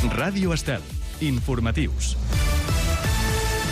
Ràdio Estel. Informatius.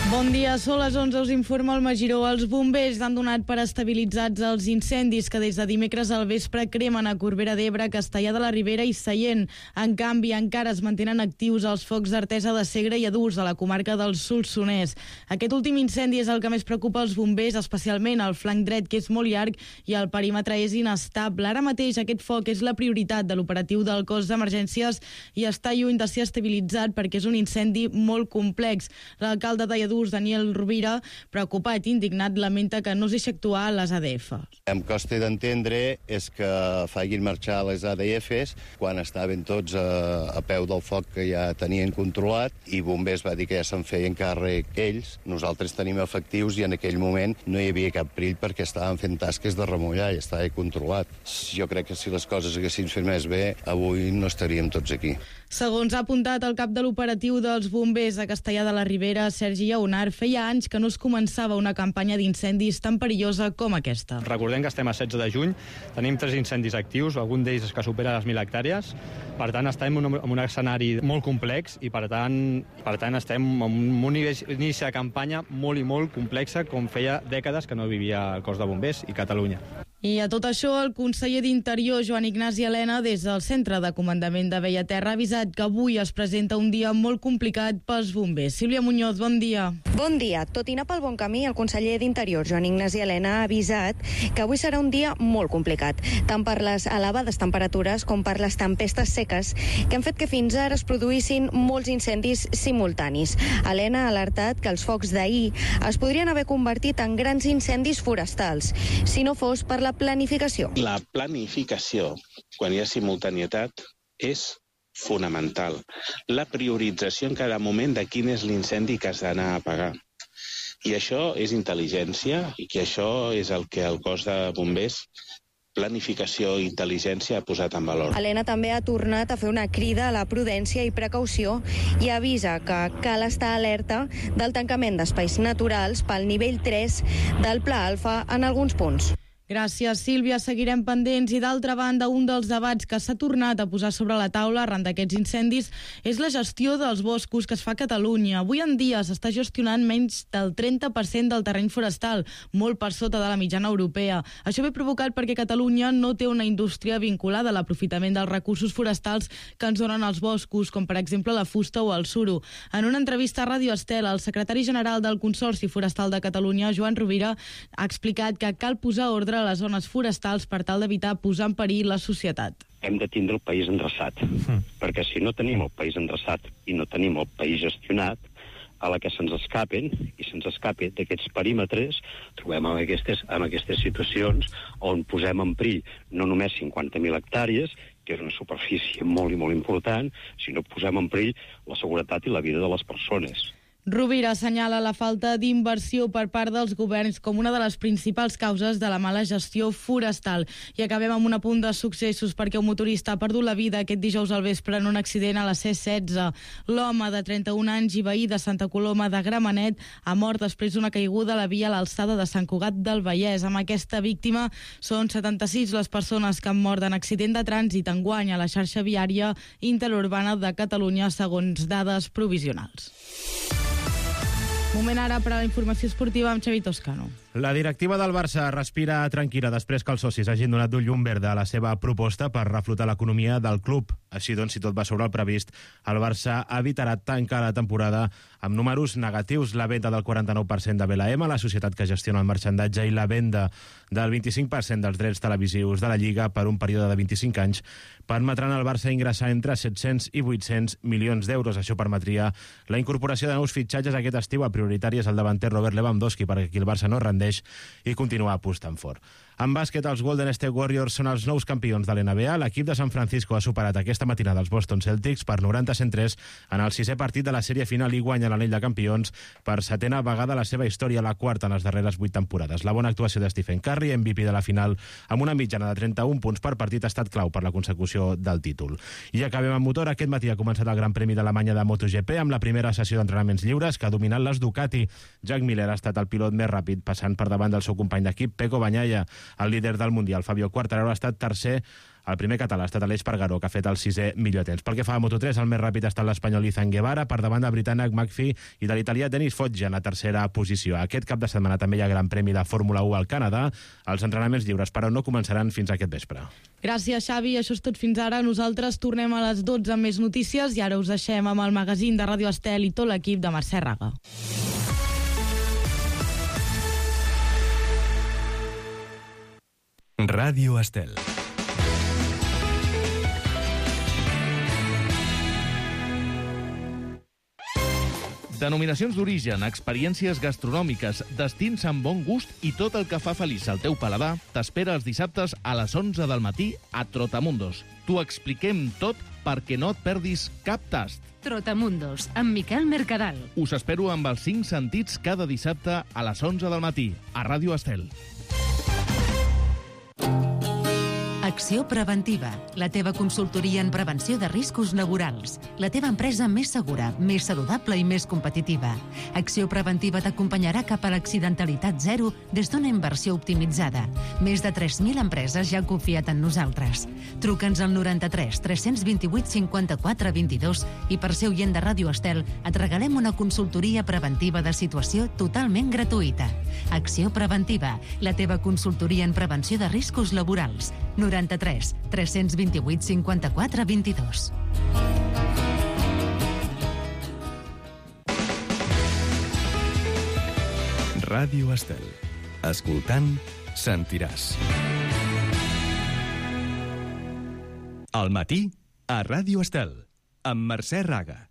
Bon dia, són les 11, us informa el Magiró. Els bombers han donat per estabilitzats els incendis que des de dimecres al vespre cremen a Corbera d'Ebre, Castellar de la Ribera i Sallent. En canvi, encara es mantenen actius els focs d'Artesa de Segre i Adurs, a la comarca del Solsonès. Aquest últim incendi és el que més preocupa els bombers, especialment el flanc dret, que és molt llarg, i el perímetre és inestable. Ara mateix aquest foc és la prioritat de l'operatiu del cos d'emergències i està lluny de ser estabilitzat perquè és un incendi molt complex. L'alcalde de Adurs, Daniel Rovira, preocupat i indignat, lamenta que no es deixi actuar les ADF. Em costa d'entendre és que facin marxar les ADFs quan estaven tots a peu del foc que ja tenien controlat i bombers va dir que ja se'n feien càrrec ells. Nosaltres tenim efectius i en aquell moment no hi havia cap perill perquè estàvem fent tasques de remullar i estava controlat. Jo crec que si les coses haguessin fet més bé, avui no estaríem tots aquí. Segons ha apuntat el cap de l'operatiu dels bombers a Castellar de la Ribera, Sergi Lleonar, feia anys que no es començava una campanya d'incendis tan perillosa com aquesta. Recordem que estem a 16 de juny, tenim 3 incendis actius, algun d'ells que supera les 1.000 hectàrees, per tant estem en un escenari molt complex i per tant estem en un inici de campanya molt i molt complexa com feia dècades que no vivia el cos de bombers i Catalunya. I a tot això, el conseller d'Interior, Joan Ignasi Elena, des del Centre de Comandament de Bellaterra, ha avisat que avui es presenta un dia molt complicat pels bombers. Sílvia Muñoz, bon dia. Bon dia. Tot i anar pel bon camí, el conseller d'Interior, Joan Ignasi Elena, ha avisat que avui serà un dia molt complicat, tant per les elevades temperatures com per les tempestes seques que han fet que fins ara es produïssin molts incendis simultanis. Elena ha alertat que els focs d'ahir es podrien haver convertit en grans incendis forestals, si no fos per la planificació. La planificació, quan hi ha simultanietat, és fonamental. La priorització en cada moment de quin és l'incendi que has d'anar a apagar. I això és intel·ligència, i que això és el que el cos de bombers, planificació i intel·ligència, ha posat en valor. Elena també ha tornat a fer una crida a la prudència i precaució i avisa que cal estar alerta del tancament d'espais naturals pel nivell 3 del Pla Alfa en alguns punts. Gràcies, Sílvia. Seguirem pendents. I d'altra banda, un dels debats que s'ha tornat a posar sobre la taula arran d'aquests incendis és la gestió dels boscos que es fa a Catalunya. Avui en dia s'està gestionant menys del 30% del terreny forestal, molt per sota de la mitjana europea. Això ve provocat perquè Catalunya no té una indústria vinculada a l'aprofitament dels recursos forestals que ens donen els boscos, com per exemple la fusta o el suro. En una entrevista a Ràdio Estel, el secretari general del Consorci Forestal de Catalunya, Joan Rovira, ha explicat que cal posar ordre a les zones forestals per tal d'evitar posar en perill la societat. Hem de tindre el país endreçat, perquè si no tenim el país endreçat i no tenim el país gestionat, a la que se'ns escapen d'aquests perímetres, trobem en aquestes situacions on posem en perill no només 50.000 hectàrees, que és una superfície molt i molt important, sinó posem en perill la seguretat i la vida de les persones. Rovira assenyala la falta d'inversió per part dels governs com una de les principals causes de la mala gestió forestal. I acabem amb un apunt de successos perquè un motorista ha perdut la vida aquest dijous al vespre en un accident a la C-16. L'home de 31 anys i veí de Santa Coloma de Gramenet ha mort després d'una caiguda a la via a l'alçada de Sant Cugat del Vallès. Amb aquesta víctima són 76 les persones que han mort en accident de trànsit enguany a la xarxa viària interurbana de Catalunya, segons dades provisionals. Moment ara per a la informació esportiva amb Xavi Toscano. La directiva del Barça respira tranquil·la després que els socis hagin donat un llum verd a la seva proposta per reflotar l'economia del club. Així doncs, si tot va sobre el previst, el Barça evitarà tancar la temporada amb números negatius. La venda del 49% de BLM, la societat que gestiona el marxandatge, i la venda del 25% dels drets televisius de la Lliga per un període de 25 anys permetran al Barça ingressar entre 700 i 800 milions d'euros. Això permetria la incorporació de nous fitxatges aquest estiu. El prioritari és el davanter Robert Lewandowski, perquè aquí el Barça no rendeix i continua apostant fort. En bàsquet, els Golden State Warriors són els nous campions de l'NBA. L'equip de San Francisco ha superat aquesta matinada els Boston Celtics per 90-103 en el 6è partit de la sèrie final i guanya l'anell de campions per 7a vegada a la seva història, la quarta en les darreres 8 temporades. La bona actuació de Stephen Curry, MVP de la final, amb una mitjana de 31 punts per partit, ha estat clau per la consecució del títol. I acabem amb motor. Aquest matí ha començat el Gran Premi d'Alemanya de MotoGP amb la primera sessió d'entrenaments lliures que ha dominat les Ducati. Jack Miller ha estat el pilot més ràpid, passant bastant per davant del seu company d'equip, Pecco Bagnaia, el líder del Mundial. Fabio Quartararo ha estat tercer. El primer català ha estat Aleix Espargaró, que ha fet el 6è millor temps. Pel que fa a Moto3, el més ràpid ha estat l'espanyol Izan Guevara, per davant del britànic McPhee i de l'italià Denis Foggia en la tercera posició. Aquest cap de setmana també hi ha Gran Premi de Fórmula 1 al Canadà. Els entrenaments lliures, però, no començaran fins aquest vespre. Gràcies, Xavi. Això és tot fins ara. Nosaltres tornem a les 12 amb més notícies i ara us deixem amb el magazín de Ràdio Estel i tot l'equip de Mercè Raga. Ràdio Estel. Denominacions d'origen, experiències gastronòmiques, destins amb bon gust i tot el que fa feliç al teu paladar t'espera els dissabtes a les 11 del matí a Trotamundos. T'ho expliquem tot perquè no et perdis cap tast. Trotamundos, amb Miquel Mercadal. Us espero amb els 5 sentits cada dissabte a les 11 del matí a Ràdio Estel. Acció Preventiva, la teva consultoria en prevenció de riscos laborals. La teva empresa més segura, més saludable i més competitiva. Acció Preventiva t'acompanyarà cap a l'accidentalitat zero des d'una inversió optimitzada. Més de 3.000 empreses ja han confiat en nosaltres. Truca'ns al 93 328 54 22 i per ser oient de Ràdio Estel et regalem una consultoria preventiva de situació totalment gratuïta. Acció Preventiva, la teva consultoria en prevenció de riscos laborals. 93 328 54 22. Ràdio Estel. Escoltant, sentiràs. Al matí, a Ràdio Estel, amb Mercè Raga.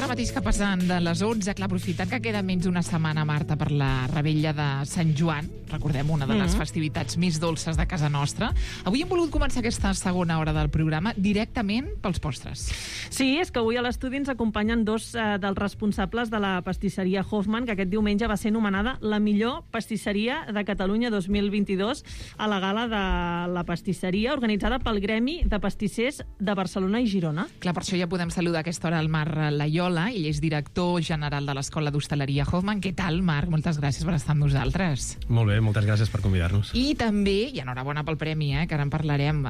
Ara mateix que passen de les 11, clar, aprofitant que queda menys d'una setmana, Marta, per la rebella de Sant Joan, recordem, una de les festivitats més dolces de casa nostra, avui hem volgut començar aquesta segona hora del programa directament pels postres. Sí, és que avui a l'estudi ens acompanyen dos dels responsables de la pastisseria Hoffman, que aquest diumenge va ser nomenada la millor pastisseria de Catalunya 2022 a la gala de la pastisseria organitzada pel Gremi de Pastissers de Barcelona i Girona. Clar, per això ja podem saludar a aquesta hora el Marc Laiola, ell és director general de l'Escola d'Hostaleria Hoffman. Què tal, Marc? Moltes gràcies per estar amb nosaltres. Molt bé, moltes gràcies per convidar-nos. I també, i enhorabona pel premi, que ara en parlarem,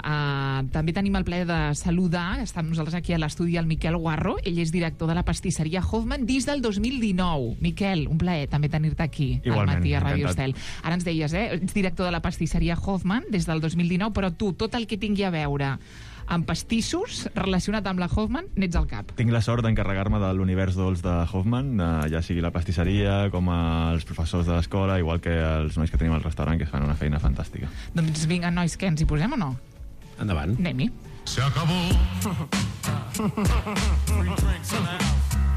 també tenim el plaer de saludar, està amb nosaltres aquí a l'estudi, el Miquel Guarro, ell és director de la pastisseria Hoffman des del 2019. Miquel, un plaer també tenir-te aquí. Igualment, al matí a Ràdio encantat. Estel. Ara ens deies, ets director de la pastisseria Hoffman des del 2019, però tu, tot el que tingui a veure amb pastissos relacionat amb la Hoffman, n'ets al cap. Tinc la sort d'encarregar-me de l'univers dolç de Hoffman, ja sigui la pastisseria, com els professors de l'escola, igual que els nois que tenim al restaurant, que fan una feina fantàstica. Doncs vinga, nois, què, ens hi posem o no? Endavant. Anem-hi. Se acabó. Free drinks in the house.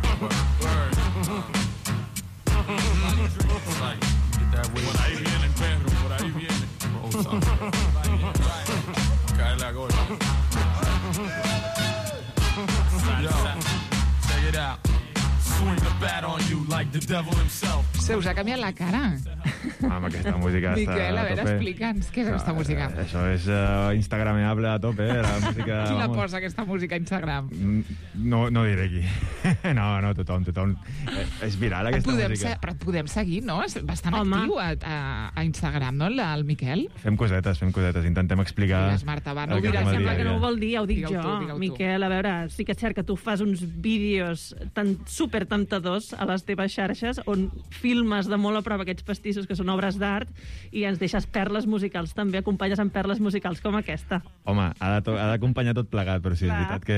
Por ahí viene el perro, por ahí viene. Cae la gorda. Check it out. Swing the bat on you like the devil himself. Se us ha canviat la cara. Amb aquesta música Miquel, està a veure, explica'ns, què és aquesta música? Això és instagrameable a tope, la música... Qui la posa, aquesta música, a Instagram? No diré qui. No, tothom. És viral, aquesta música. Però et podem seguir, no? És bastant actiu a Instagram, no, el Miquel? Fem cosetes. Intentem explicar... Digues, Marta, va, no ho diràs. Sembla que no ho vol dir, ja ho dic jo. Digue-ho tu. Miquel, a veure, sí que és cert que tu fas uns vídeos tan supertentadors a les teves xarxes on filmes de molt a prop aquests pastissos que són obres d'art i ens deixes perles musicals també, acompanyes amb perles musicals com aquesta. Home, ha d'acompanyar tot plegat, però sí, és veritat que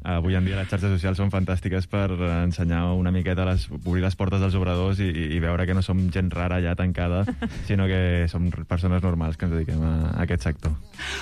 avui en dia les xarxes socials són fantàstiques per ensenyar una miqueta, obrir les portes dels obradors i veure que no som gent rara ja tancada, sinó que som persones normals que ens dediquem a aquest sector.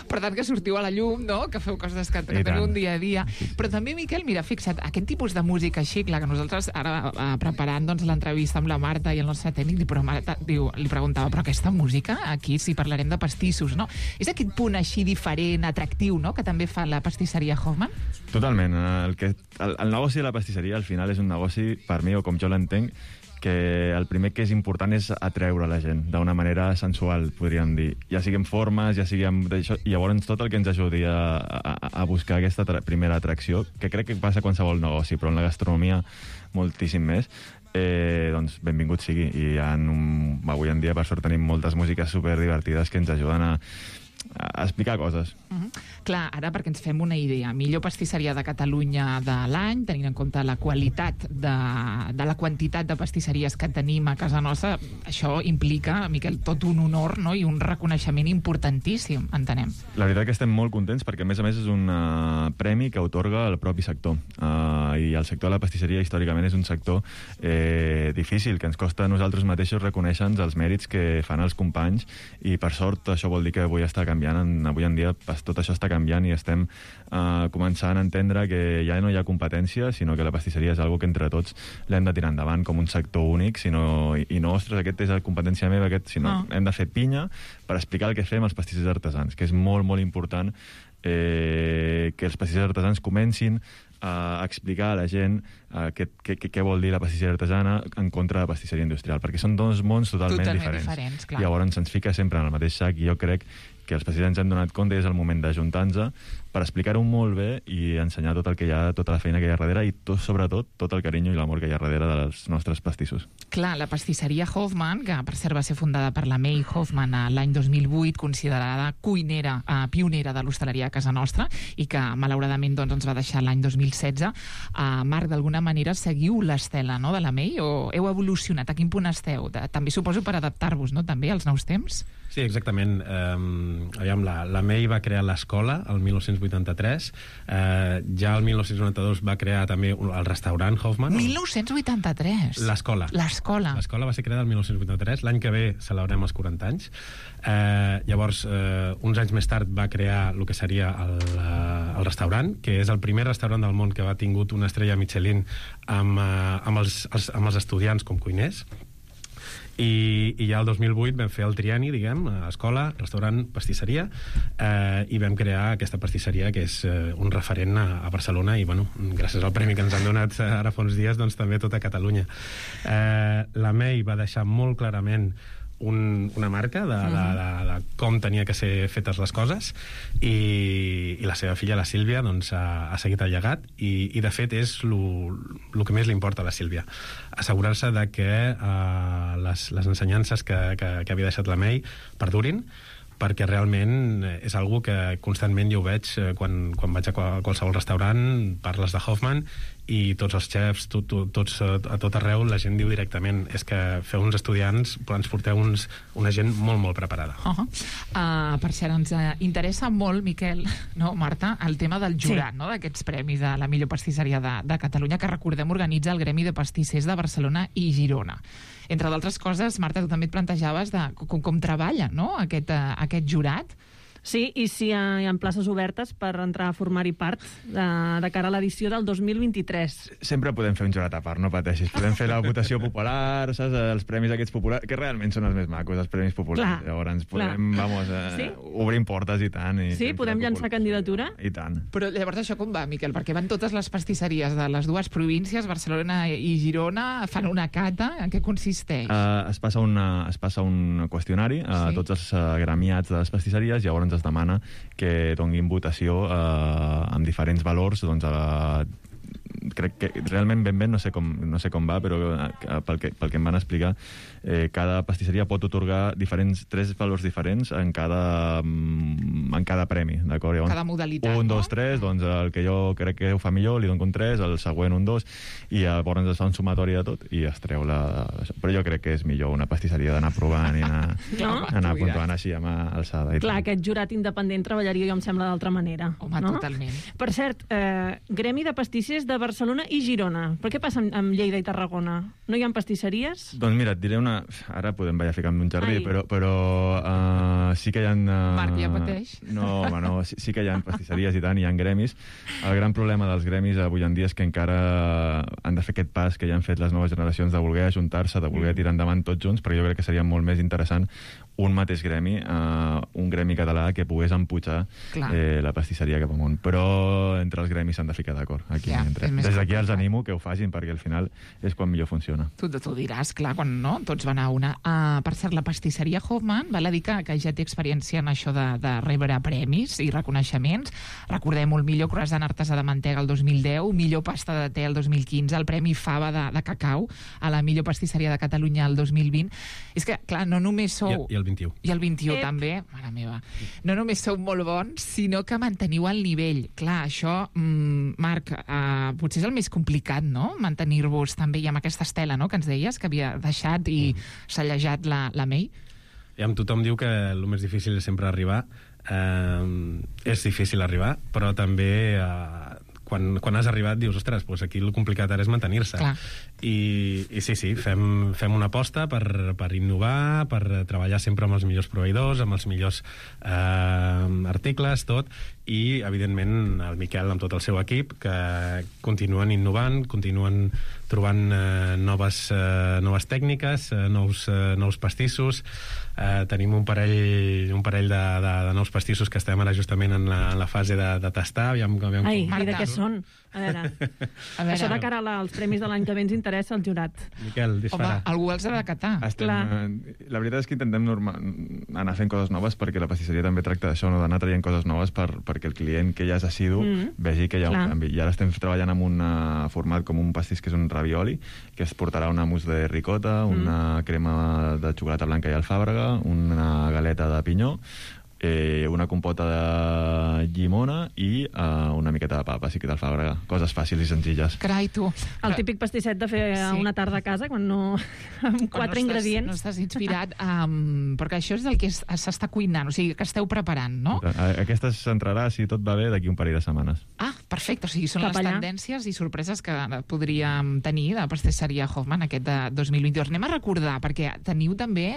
Per tant, que sortiu a la llum, no? Que feu coses que teniu un dia a dia. Però també, Miquel, mira, fixa't, aquest tipus de música així, clar, que nosaltres ara preparant l'entrevista amb la Marta i el nostre tècnic, li preguntava, però aquesta música, aquí sí parlarem de pastissos, no? És aquest punt així diferent, atractiu, no?, que també fa la pastisseria Hoffman? Totalment. El negoci de la pastisseria al final és un negoci, per mi, o com jo l'entenc, que el primer que és important és atreure la gent d'una manera sensual, podríem dir. Ja siguem formes, ja siguem d'això, i llavors tot el que ens ajudi a buscar aquesta primera atracció, que crec que passa a qualsevol negoci, però en la gastronomia moltíssim més, doncs benvingut sigui. I avui en dia, per sort, tenim moltes músiques superdivertides que ens ajuden a explicar coses. Clar, ara perquè ens fem una idea, millor pastisseria de Catalunya de l'any, tenint en compte la qualitat de la quantitat de pastisseries que tenim a casa nostra, això implica, Miquel, tot un honor, no?, i un reconeixement importantíssim, entenem. La veritat que estem molt contents perquè, a més, és un premi que atorga el propi sector. I el sector de la pastisseria històricament és un sector difícil, que ens costa a nosaltres mateixos reconèixer-nos els mèrits que fan els companys, i per sort això vol dir que avui està canviant. Avui en dia tot això està canviant i estem començant a entendre que ja no hi ha competència, sinó que la pastisseria és una que entre tots l'hem de tirar endavant com un sector únic, i no, ostres, aquest és la competència meva, sinó hem de fer pinya per explicar el que fem als pastissers artesans, que és molt, molt important que els pastissers artesans comencin a explicar a la gent què vol dir la pastisseria artesana en contra de la pastisseria industrial, perquè són dos mons totalment diferents. Clar. Llavors se'ns fica sempre en el mateix sac, i jo crec que els pastissers ens hem donat compte i és el moment d'ajuntar-nos per explicar-ho molt bé i ensenyar tot el que hi ha, tota la feina que hi ha darrere, i sobretot tot el carinyo i l'amor que hi ha darrere dels nostres pastissos. Clar, la pastisseria Hoffman, que per cert va ser fundada per la May Hoffman l'any 2008, considerada cuinera, pionera de l'hostaleria a casa nostra, i que malauradament ens va deixar l'any 2016. Marc, d'alguna manera seguiu l'estela, no?, de la May, o heu evolucionat? A quin punt esteu? També suposo per adaptar-vos, no?, també als nous temps? Sí, exactament. La May va crear l'escola el 1983. Ja el 1992 va crear també el restaurant Hoffman. 1983? L'escola. L'escola. L'escola va ser creada el 1983. L'any que ve celebrem els 40 anys. Llavors, uns anys més tard va crear el que seria el restaurant, que és el primer restaurant del món que ha tingut una estrella Michelin amb els estudiants com cuiners. I ja el 2008 vam fer el trienni, diguem, escola, restaurant, pastisseria, i vam crear aquesta pastisseria que és un referent a Barcelona, i bueno, gràcies al premi que ens han donat ara fa uns dies, doncs també a tota Catalunya. La May va deixar molt clarament una marca de com tenia que ser fetes les coses, i la seva filla, la Sílvia, doncs ha seguit el llegat, i de fet és el que més li importa a la Sílvia, assegurar-se de que les ensenyances que havia deixat la May perdurin, perquè realment és algo que constantment jo ho veig quan vaig a qualsevol restaurant, parles de Hoffman, i tots els xefs, tots a tot arreu, la gent diu directament, és que feu uns estudiants, però ens porteu una gent molt, molt preparada. Per cert, ens interessa molt, Miquel, no, Marta, el tema del jurat, no, d'aquests premis de la millor pastisseria de Catalunya, que recordem organitza el Gremi de Pastissers de Barcelona i Girona. Entre d'altres coses, Marta, tu també et plantejaves de com treballa, no?, aquest jurat. Sí, i si hi ha places obertes per entrar a formar-hi part de cara a l'edició del 2023. Sempre podem fer un jurat a part, no pateixis. Podem fer la votació popular, saps? Els premis aquests populars, que realment són els més macos, els premis populars. Clar, llavors podem, obrim portes i tant. Sí, podem llançar candidatura? I tant. Però llavors això com va, Miquel? Perquè van totes les pastisseries de les dues províncies, Barcelona i Girona, fan una cata, en què consisteix? Es passa un qüestionari a tots els gremiats de les pastisseries, i llavors es demana que donguin votació amb diferents valors, doncs crec que realment ben no sé com va, però pel que em van explicar, cada pastisseria pot atorgar tres valors diferents en cada premi, d'acord? Cada modalitat, 1, 2, 3, doncs el que jo crec que ho fa millor li dono un 3, el següent un 2, i llavors es fa un sumatori de tot i es treu però jo crec que és millor una pastisseria d'anar provant i anar puntuant així amb alçada. Clar, aquest jurat independent treballaria, jo em sembla, d'altra manera. Home, no? Totalment. Per cert, Gremi de Pastissers de Barcelona i Girona. Però què passa amb Lleida i Tarragona? No hi ha pastisseries? Doncs mira, et diré ara podem ficar-me un jardí, però sí que hi ha... Marc, ja pateix. No, home, no, sí que hi ha pastisseries i tant, hi ha gremis. El gran problema dels gremis avui en dia és que encara han de fer aquest pas que ja han fet les noves generacions de voler ajuntar-se, de voler tirar endavant tots junts, perquè jo crec que seria molt més interessant un mateix gremi, un gremi català que pogués empujar la pastisseria cap amunt. Però entre els gremis s'han de ficar d'acord. Aquí, des des d'aquí els animo que ho facin, perquè al final és quan millor funciona. Tu diràs, clar, quan no, tots van a una. Per cert, la pastisseria Hoffman, val a dir que ja té experiència en això de rebre premis i reconeixements. Recordem el millor croissant artesà de mantega el 2010, millor pasta de te el 2015, el Premi Fava de cacau a la millor pastisseria de Catalunya el 2020. És que, clar, no només sou... I el 21. I el 21 també, mare meva. No només sou molt bons, sinó que manteniu el nivell. Clar, això, Marc, potser és el més complicat, no?, mantenir-vos també i amb aquesta estela, no?, que ens deies, que havia deixat i sallejat la May. Tothom diu que el més difícil és sempre arribar. És difícil arribar, però també quan has arribat dius, ostres, doncs aquí el complicat ara és mantenir-se. I sí, fem una aposta per innovar, per treballar sempre amb els millors proveïdors, amb els millors articles, tot, i evidentment el Miquel amb tot el seu equip, que continuen innovant, continuen trobant noves tècniques, nous pastissos. Tenim un parell de nous pastissos que estem ara justament en la fase de tastar. Ai, i de què són? A veure. Això de cara als premis de l'any que ve ens interessa el jurat. Miquel, dispara. Home, algú els ha de catar. La veritat és que intentem anar fent coses noves, perquè la pastisseria també tracta d'això, no?, d'anar traient coses noves perquè el client que ja és assidu vegi que hi ha un canvi. I ara estem treballant amb un format com un pastís que és un ravioli, que es portarà una mousse de ricota, una crema de xocolata blanca i alfàbrega, una galeta de pinyó, una compota de llimona i una miqueta de papa, sí que d'alfàbrega. Coses fàcils i senzilles. Carai, tu. El típic pastisset de fer una tarda a casa, quan no... amb 4 ingredients. No estàs inspirat, perquè això és el que s'està cuinant, o sigui, que esteu preparant, no? Aquesta s'entrarà, si tot va bé, d'aquí un parell de setmanes. Perfecte, o sigui, són les tendències i sorpreses que podríem tenir de pastisseria Hoffman aquest de 2022. Anem a recordar, perquè teniu també,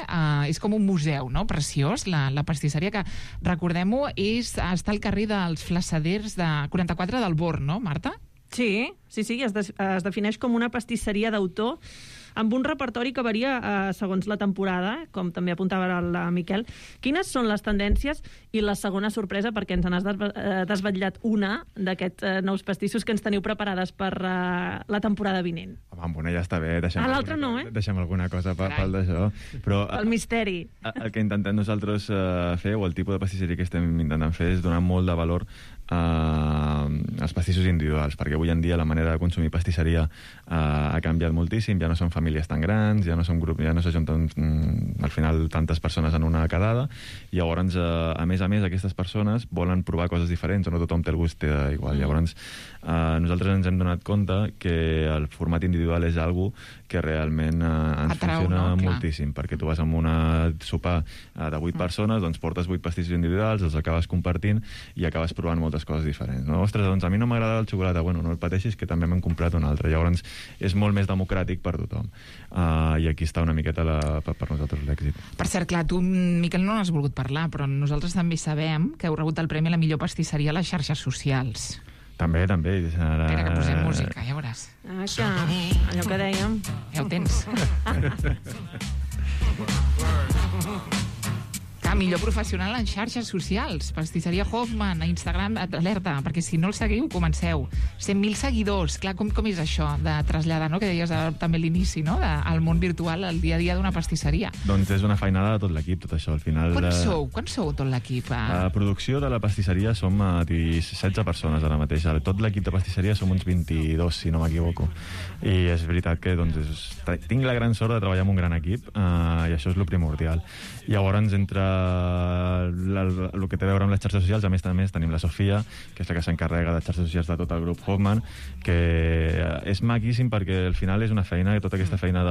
és com un museu, no?, preciós, la pastisseria, que recordem-ho, està al carrer dels Flassaders de 44 del Born, no, Marta? Sí, es defineix com una pastisseria d'autor amb un repertori que varia segons la temporada, com també apuntava el Miquel. Quines són les tendències i la segona sorpresa, perquè ens n'has desvetllat una d'aquests nous pastissos que ens teniu preparades per la temporada vinent? Amb una ja està bé. L'altra no, Deixem alguna cosa pel d'això. El misteri. El que intentem nosaltres fer, o el tipus de pastisseria que estem intentant fer, és donar molt de valor als pastissos individuals, perquè avui en dia la manera de consumir pastisseria ha canviat moltíssim, ja no són famílies tan grans, ja no són grups, ja no s'ajunten al final tantes persones en una quedada, i llavors a més aquestes persones volen provar coses diferents, o no tothom té el gust igual. Llavors nosaltres ens hem donat compte que el format individual és algo que realment ens funciona moltíssim, perquè tu vas amb una sopar de 8 persones, doncs portes 8 pastissos individuals, els acabes compartint i acabes provant moltes coses diferents, no? Ostres, doncs a mi no m'agrada el xocolata. Bueno, no el pateixis, que també m'hem comprat un altre. Llavors és molt més democràtic per tothom. I aquí està una miqueta per nosaltres l'èxit. Per cert, clar, tu, Miquel, no n'has volgut parlar, però nosaltres també sabem que heu rebut el premi a la millor pastisseria a les xarxes socials. També. Espera que posem música, ja veuràs. Allò que dèiem. Ja ho tens. Millor professional en xarxes socials, pastisseria Hoffman, a Instagram, alerta, perquè si no el seguiu, comenceu. 100.000 seguidors, clar, com és això de traslladar, no?, que deies també a l'inici, no?, al món virtual, al dia a dia d'una pastisseria. Doncs és una feinada de tot l'equip, tot això, al final. Quan sou tot l'equip? A producció de la pastisseria som 16 persones ara mateix. Tot l'equip de pastisseria som uns 22, si no m'equivoco. I és veritat que tinc la gran sort de treballar amb un gran equip, i això és el primordial. Llavors, entre el que té a veure amb les xarxes socials, a més tenim la Sofia, que és la que s'encarrega de xarxes socials de tot el grup Hoffman, que és maquíssim perquè al final és una feina, tota aquesta feina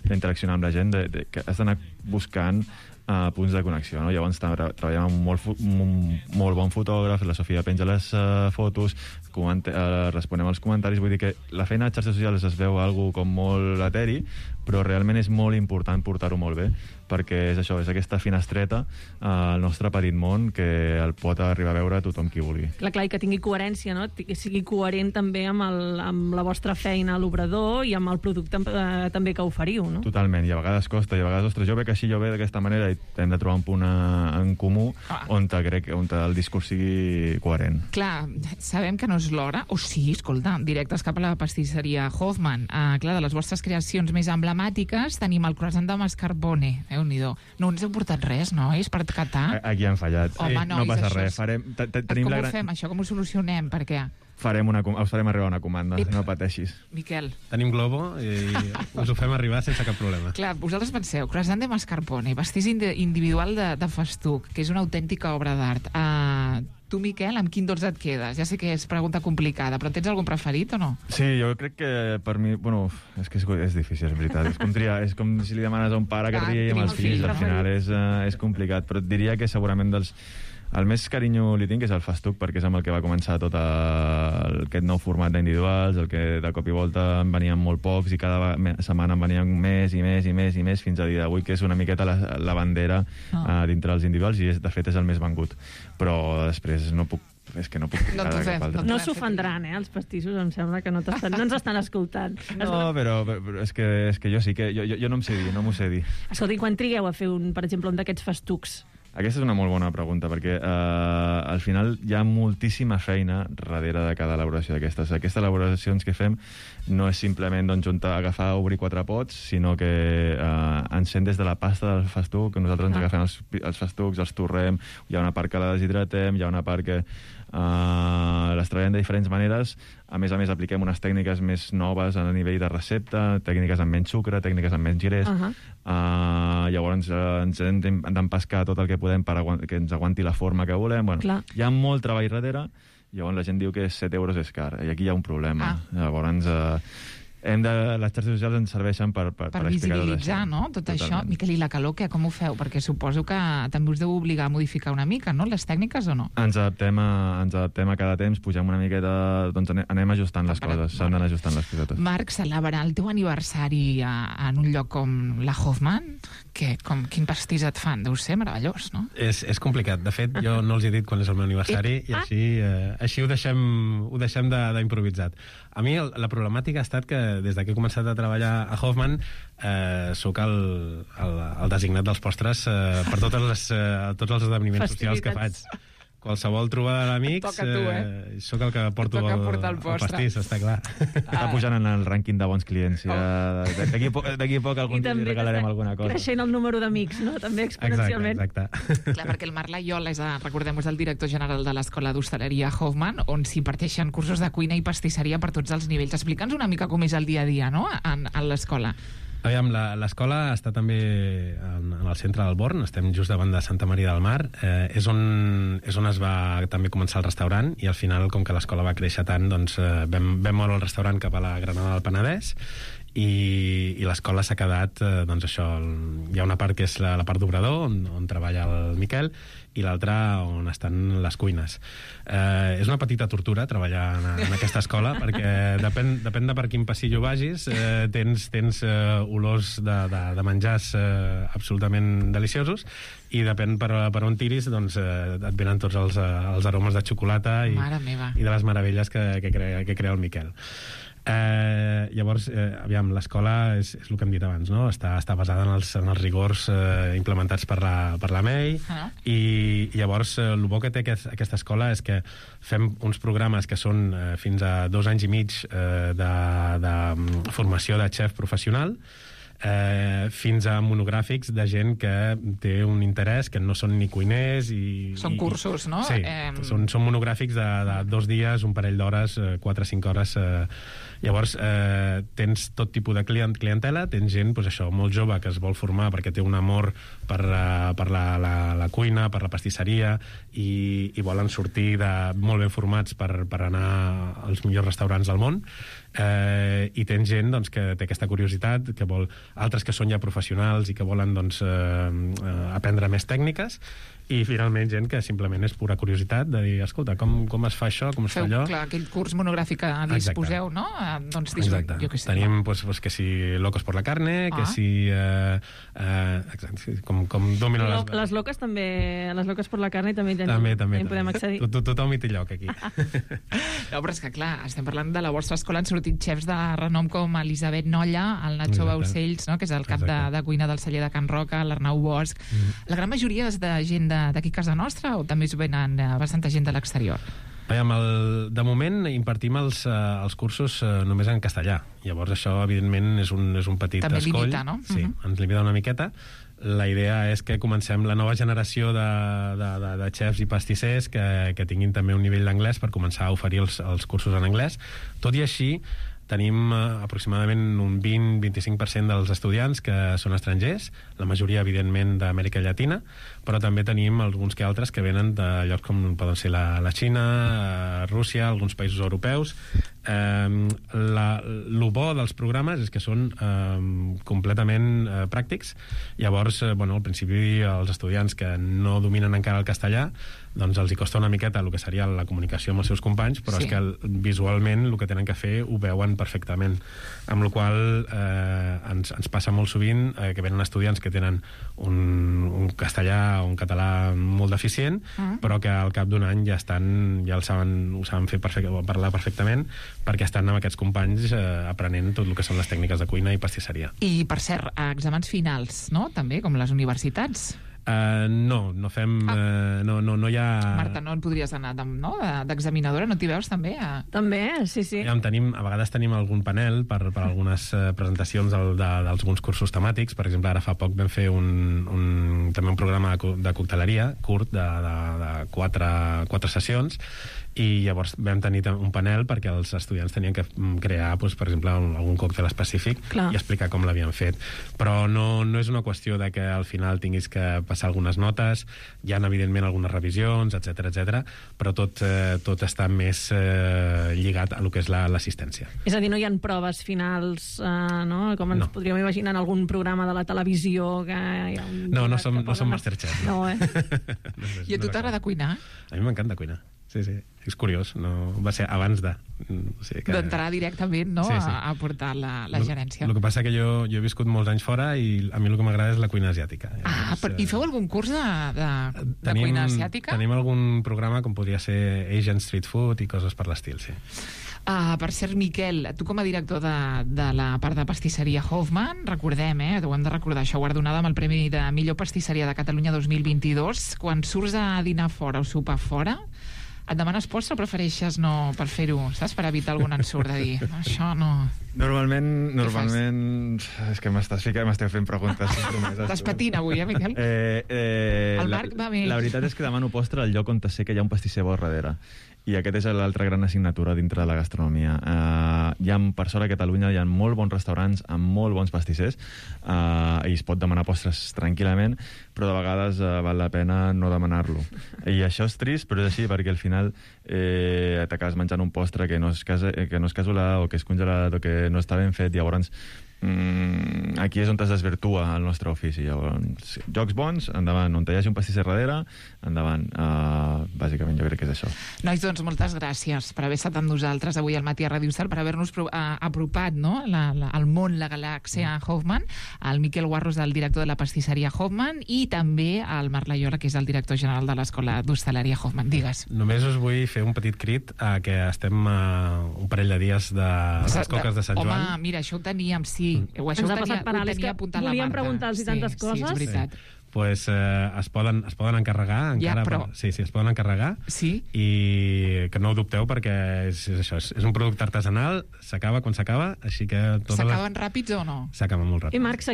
d'interaccionar amb la gent, que has d'anar buscant punts de connexió, no? Llavors treballem amb un molt bon fotògraf, la Sofia penja les fotos, responem als comentaris, vull dir que la feina de xarxes socials es veu algo com molt eteri, però realment és molt important portar-ho molt bé, perquè és això, és aquesta finestreta al nostre petit món que el pot arribar a veure tothom qui vulgui. Clar, i que tingui coherència, no? Que sigui coherent també amb la vostra feina a l'obrador i amb el producte també que oferiu, no? Totalment, i a vegades costa, i a vegades, ostres, jo veig així, jo veig d'aquesta manera, hem de trobar un punt en comú on el discurs sigui coherent. Clar, sabem que no és l'hora, o sí, escolta, directes cap a la pastisseria Hoffman. Clar, de les vostres creacions més emblemàtiques tenim el croissant de mascarpone, Déu-n'hi-do. No ens heu portat res, nois, per catar? Aquí han fallat. Home, nois, no passa això res. Com ho fem, això? Com ho solucionem? Per què? Us farem arribar una comanda, no pateixis. Miquel. Tenim Globo i us ho fem arribar sense cap problema. Clar, vosaltres penseu, croissant de mascarpone, pastís individual de festuc, que és una autèntica obra d'art. Tu, Miquel, amb quin dolç et quedes? Ja sé que és pregunta complicada, però tens algun preferit o no? Sí, jo crec que per mi... Bueno, és que és difícil, és veritat. És com triar, és com si li demanes a un pare que tria amb els fills. Al final és complicat, però et diria que segurament el més carinyo li tinc és el festuc, perquè és amb el que va començar tot aquest nou format d'individuals, el que de cop i volta en venien molt pocs i cada setmana en venien més i més i més i més fins a dia d'avui, que és una miqueta la bandera dintre dels individuals i de fet és el més vengut. Però després no puc No s'ofendran, els pastissos, em sembla que no ens estan escoltant. No, però és que jo sí que... Jo no m'ho sé dir. Escolta, i quan trigueu a fer, per exemple, un d'aquests festucs? Aquesta és una molt bona pregunta, perquè al final hi ha moltíssima feina darrere de cada elaboració d'aquestes. Aquestes elaboracions que fem no és simplement agafar, obrir 4 pots, sinó que ens fem des de la pasta del festuc, que nosaltres ens agafem els festucs, els torrem, hi ha una part que la deshidratem, hi ha una part que les treballem de diferents maneres. A més, apliquem unes tècniques més noves a nivell de recepta, tècniques amb menys sucre, tècniques amb menys girés. Llavors ens hem d'empescar tot el que podem perquè ens aguanti la forma que volem. Bueno, hi ha molt treball darrere, llavors la gent diu que 7 euros és car, i aquí hi ha un problema. Llavors... les xarxes socials ens serveixen per visibilitzar, no? Tot això. Miquel, i la calor, com ho feu? Perquè suposo que també us deu obligar a modificar una mica, no? Les tècniques o no? Ens adaptem a cada temps, pugem una miqueta, doncs anem ajustant les coses, s'han d'anar ajustant les cosetes. Marc, celebrar el teu aniversari en un lloc com la Hoffman, quin pastís et fan? Deu ser meravellós, no? És complicat. De fet, jo no els he dit quan és el meu aniversari i així ho deixem d'improvisat. A mi la problemàtica ha estat que des que he començat a treballar a Hoffman soc el designat dels postres per tots els esdeveniments socials que faig. Qualsevol trobada d'amics, soc el que porto el pastís, està clar. Està pujant en el rànquing de bons clients. D'aquí a poc algun dia li regalarem alguna cosa. Creixent el número d'amics, no? També exponencialment. Exacte. Clar, perquè el Marc Laiola recordem, és el director general de l'Escola d'Hostaleria Hoffman, on s'imparteixen cursos de cuina i pastisseria per tots els nivells. Explica'ns una mica com és el dia a dia, no?, en l'escola. Aviam, l'escola està també en el centre del Born, estem just davant de Santa Maria del Mar, és on es va també començar el restaurant, i al final, com que l'escola va créixer tant, doncs vam moure el restaurant cap a la Granada del Penedès, i l'escola s'ha quedat, doncs això, hi ha una part que és la part d'obrador, on treballa el Miquel, i l'altra on estan les cuines. És una petita tortura treballar en aquesta escola, perquè depèn de per quin passillo vagis, tens olors de menjars absolutament deliciosos, i depèn per on tiris, doncs et venen tots els aromes de xocolata i de les meravelles que crea el Miquel. Llavors, aviam, l'escola és el que hem dit abans, no? Està basada en els rigors implementats per la MEI, i llavors el bo que té aquesta escola és que fem uns programes que són fins a 2 anys i mig de formació de xef professional, fins a monogràfics de gent que té un interès, que no són ni cuiners són cursos, no? Sí, són monogràfics de 2 dies, un parell d'hores, 4 o 5 hores. Llavors tens tot tipus de clientela, tens gent, doncs això, molt jove, que es vol formar perquè té un amor per la cuina, per la pastisseria, i volen sortir molt ben formats per anar als millors restaurants del món, i tens gent, doncs, que té aquesta curiositat, que vol, altres que són ja professionals i que volen, doncs, aprendre més tècniques, i finalment gent que simplement és pura curiositat de dir, escolta, com es fa això, com es fa allò. Clar, aquell curs monogràfic que disposeu, no? Doncs, exacte. Tenim, pues, que si Locos por la carne, que si... com domino les loques també, les Locos por la carne també podem accedir. Tothom hi té lloc, aquí. No, però és que, clar, estem parlant de la vostra escola, han sortit xefs de renom com Elisabet Nolla, el Nacho Baucells, no? Que és el cap de cuina del celler de Can Roca, l'Arnau Bosch. La gran majoria és de gent d'aquí a casa nostra o també us venen bastanta gent de l'exterior? De moment impartim els cursos només en castellà. Llavors això, evidentment, és un petit també escoll. Limita, no? Sí, ens limita una miqueta. La idea és que comencem la nova generació de xefs i pastissers que tinguin també un nivell d'anglès per començar a oferir els cursos en anglès. Tot i així, tenim aproximadament un 20-25% dels estudiants que són estrangers, la majoria, evidentment, d'Amèrica Llatina, però també tenim alguns que altres que venen de llocs com poden ser la Xina, Rússia, alguns països europeus. Lo bo dels programes és que són completament pràctics. Llavors, al principi, els estudiants que no dominen encara el castellà, doncs els hi costa una miqueta el que seria la comunicació amb els seus companys, però és que visualment el que tenen que fer ho veuen perfectament, amb la qual ens passa molt sovint que venen estudiants que tenen un castellà o un català molt deficient, però que al cap d'un any ja ho saben fer parlar perfectament, perquè estan amb aquests companys aprenent tot el que són les tècniques de cuina i pastisseria. I, per cert, exàmens finals, no? També, com les universitats. No fem... No hi ha... Marta, no en podries anar d'examinadora? No t'hi veus també? També, sí. A vegades tenim algun panel per algunes presentacions d'alguns cursos temàtics. Per exemple, ara fa poc vam fer també un programa de cocteleria curt de 4 sessions, i llavors vam tenir un panel perquè els estudiants tenien que crear, per exemple, algun còctel específic i explicar com l'havien fet. Però no és una qüestió de que al final tinguis que passar algunes notes, hi ha evidentment algunes revisions, etc, però tot està més lligat a lo que és l'assistència. És a dir, no hi ha proves finals, no? Com ens podríem imaginar en algun programa de la televisió que hi ha no som Masterchef. No, I a tu t'agrada cuinar? A mi m'encanta cuinar. Sí. És curiós, no va ser abans de... D'entrar directament, no?, a portar la gerència. El que passa que jo he viscut molts anys fora i a mi el que m'agrada és la cuina asiàtica. I feu algun curs de cuina asiàtica? Tenim algun programa com podria ser Asian Street Food i coses per l'estil, sí. Per cert, Miquel, tu com a director de la part de pastisseria Hoffman, recordem, ho hem de recordar, això guardonada amb el Premi de Millor Pastisseria de Catalunya 2022, quan surts a dinar fora o sopar fora, et demanes postre o prefereixes no per fer-ho, saps? Per evitar algun ensurt de dir, això no... Normalment... És que m'esteu fent preguntes compromeses. Estàs patint avui, Miquel? El Marc va bé. La veritat és que demano postre al lloc on sé que hi ha un pastisser bo darrere. I aquest és l'altra gran assignatura dintre de la gastronomia. Per sort a Catalunya hi ha molt bons restaurants amb molt bons pastissers i es pot demanar postres tranquil·lament, però de vegades val la pena no demanar-lo. I això és trist, però és així, perquè al final t'acabes menjant un postre que no és casolà o que és congelat o que no està ben fet. Llavors aquí és on es desvirtua el nostre ofici. Llavors, jocs bons, endavant. On hi hagi un pastisser darrere, endavant. Bàsicament jo crec que és això. Nois, doncs moltes gràcies per haver estat amb nosaltres avui al Matí a Ràdio Estel, per haver-nos apropat, no?, al món, la galàxia Hoffman, el Miquel Guarros, el director de la pastisseria Hoffman, i també el Marc Laiola, que és el director general de l'Escola d'Hostaleria Hoffman. Digues. Només us vull fer un petit crit que estem un parell de dies de les coques de Sant Joan. Home, mira, això ho teníem, sí. Això ens ha passat per alt, és que volíem preguntar-los tantes coses. Sí, és veritat. Pues es poden encarregar encara, sí, es poden encarregar, i que no ho dubteu perquè és això, és un producte artesanal, s'acaba quan s'acaba, així que s'acaben ràpids o no? S'acaben molt ràpids. I Marc,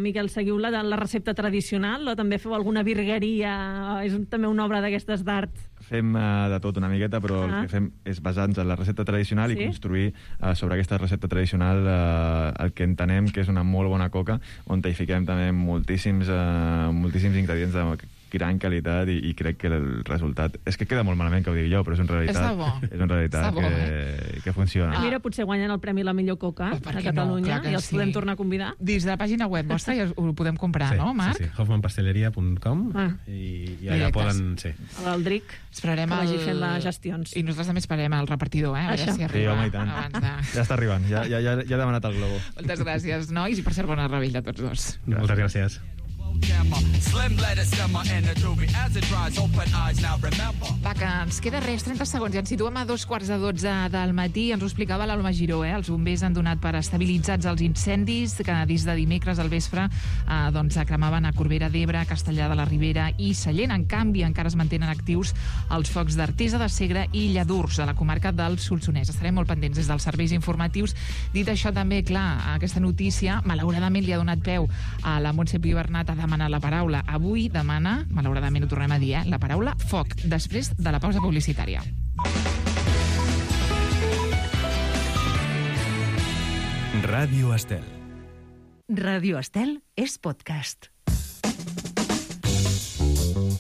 Miquel, seguiu la recepta tradicional o també feu alguna virgueria? És també una obra d'aquestes d'art? Fem de tot una miqueta, però el que fem és basar-nos en la recepta tradicional i construir sobre aquesta recepta tradicional el que entenem que és una molt bona coca, on hi fiquem també moltíssims ingredients de gran qualitat i crec que el resultat... És que queda molt malament que ho digui jo, però és una realitat que funciona. Mira, potser guanyen el premi la millor coca a Catalunya i els podem tornar a convidar. Dins de la pàgina web vostra ja ho podem comprar, no, Marc? Sí, hoffmanpasteleria.com i allà poden... L'Aldric, que vagi fent les gestions. I nosaltres també esperem el repartidor, a veure si arriba abans de... Ja està arribant, ja ha demanat el globo. Moltes gràcies, nois, i per cert, bona revetlla a tots dos. Moltes gràcies. camera. Slim letter simmer in the doobie as it dries. Open eyes now, remember. Va, que ens queda res, 30 segons, i ens situem a 2:45 del matí. Ens ho explicava l'Alma Giró, Els bombers han donat per estabilitzats els incendis que des de dimecres al vespre doncs cremaven a Corbera d'Ebre, Castellar de la Ribera i Sallent. En canvi, encara es mantenen actius els focs d'Artesa de Segre i Lladurs, a la comarca del Solsonès. Estarem molt pendents des dels serveis informatius. Dit això, també, clar, aquesta notícia, malauradament, li ha donat peu a la Montse Pibernat a demanar la paraula. Avui demana, malauradament ho tornem a dir, la paraula foc, després de la pausa publicitària. Ràdio Estel. Ràdio Estel és podcast.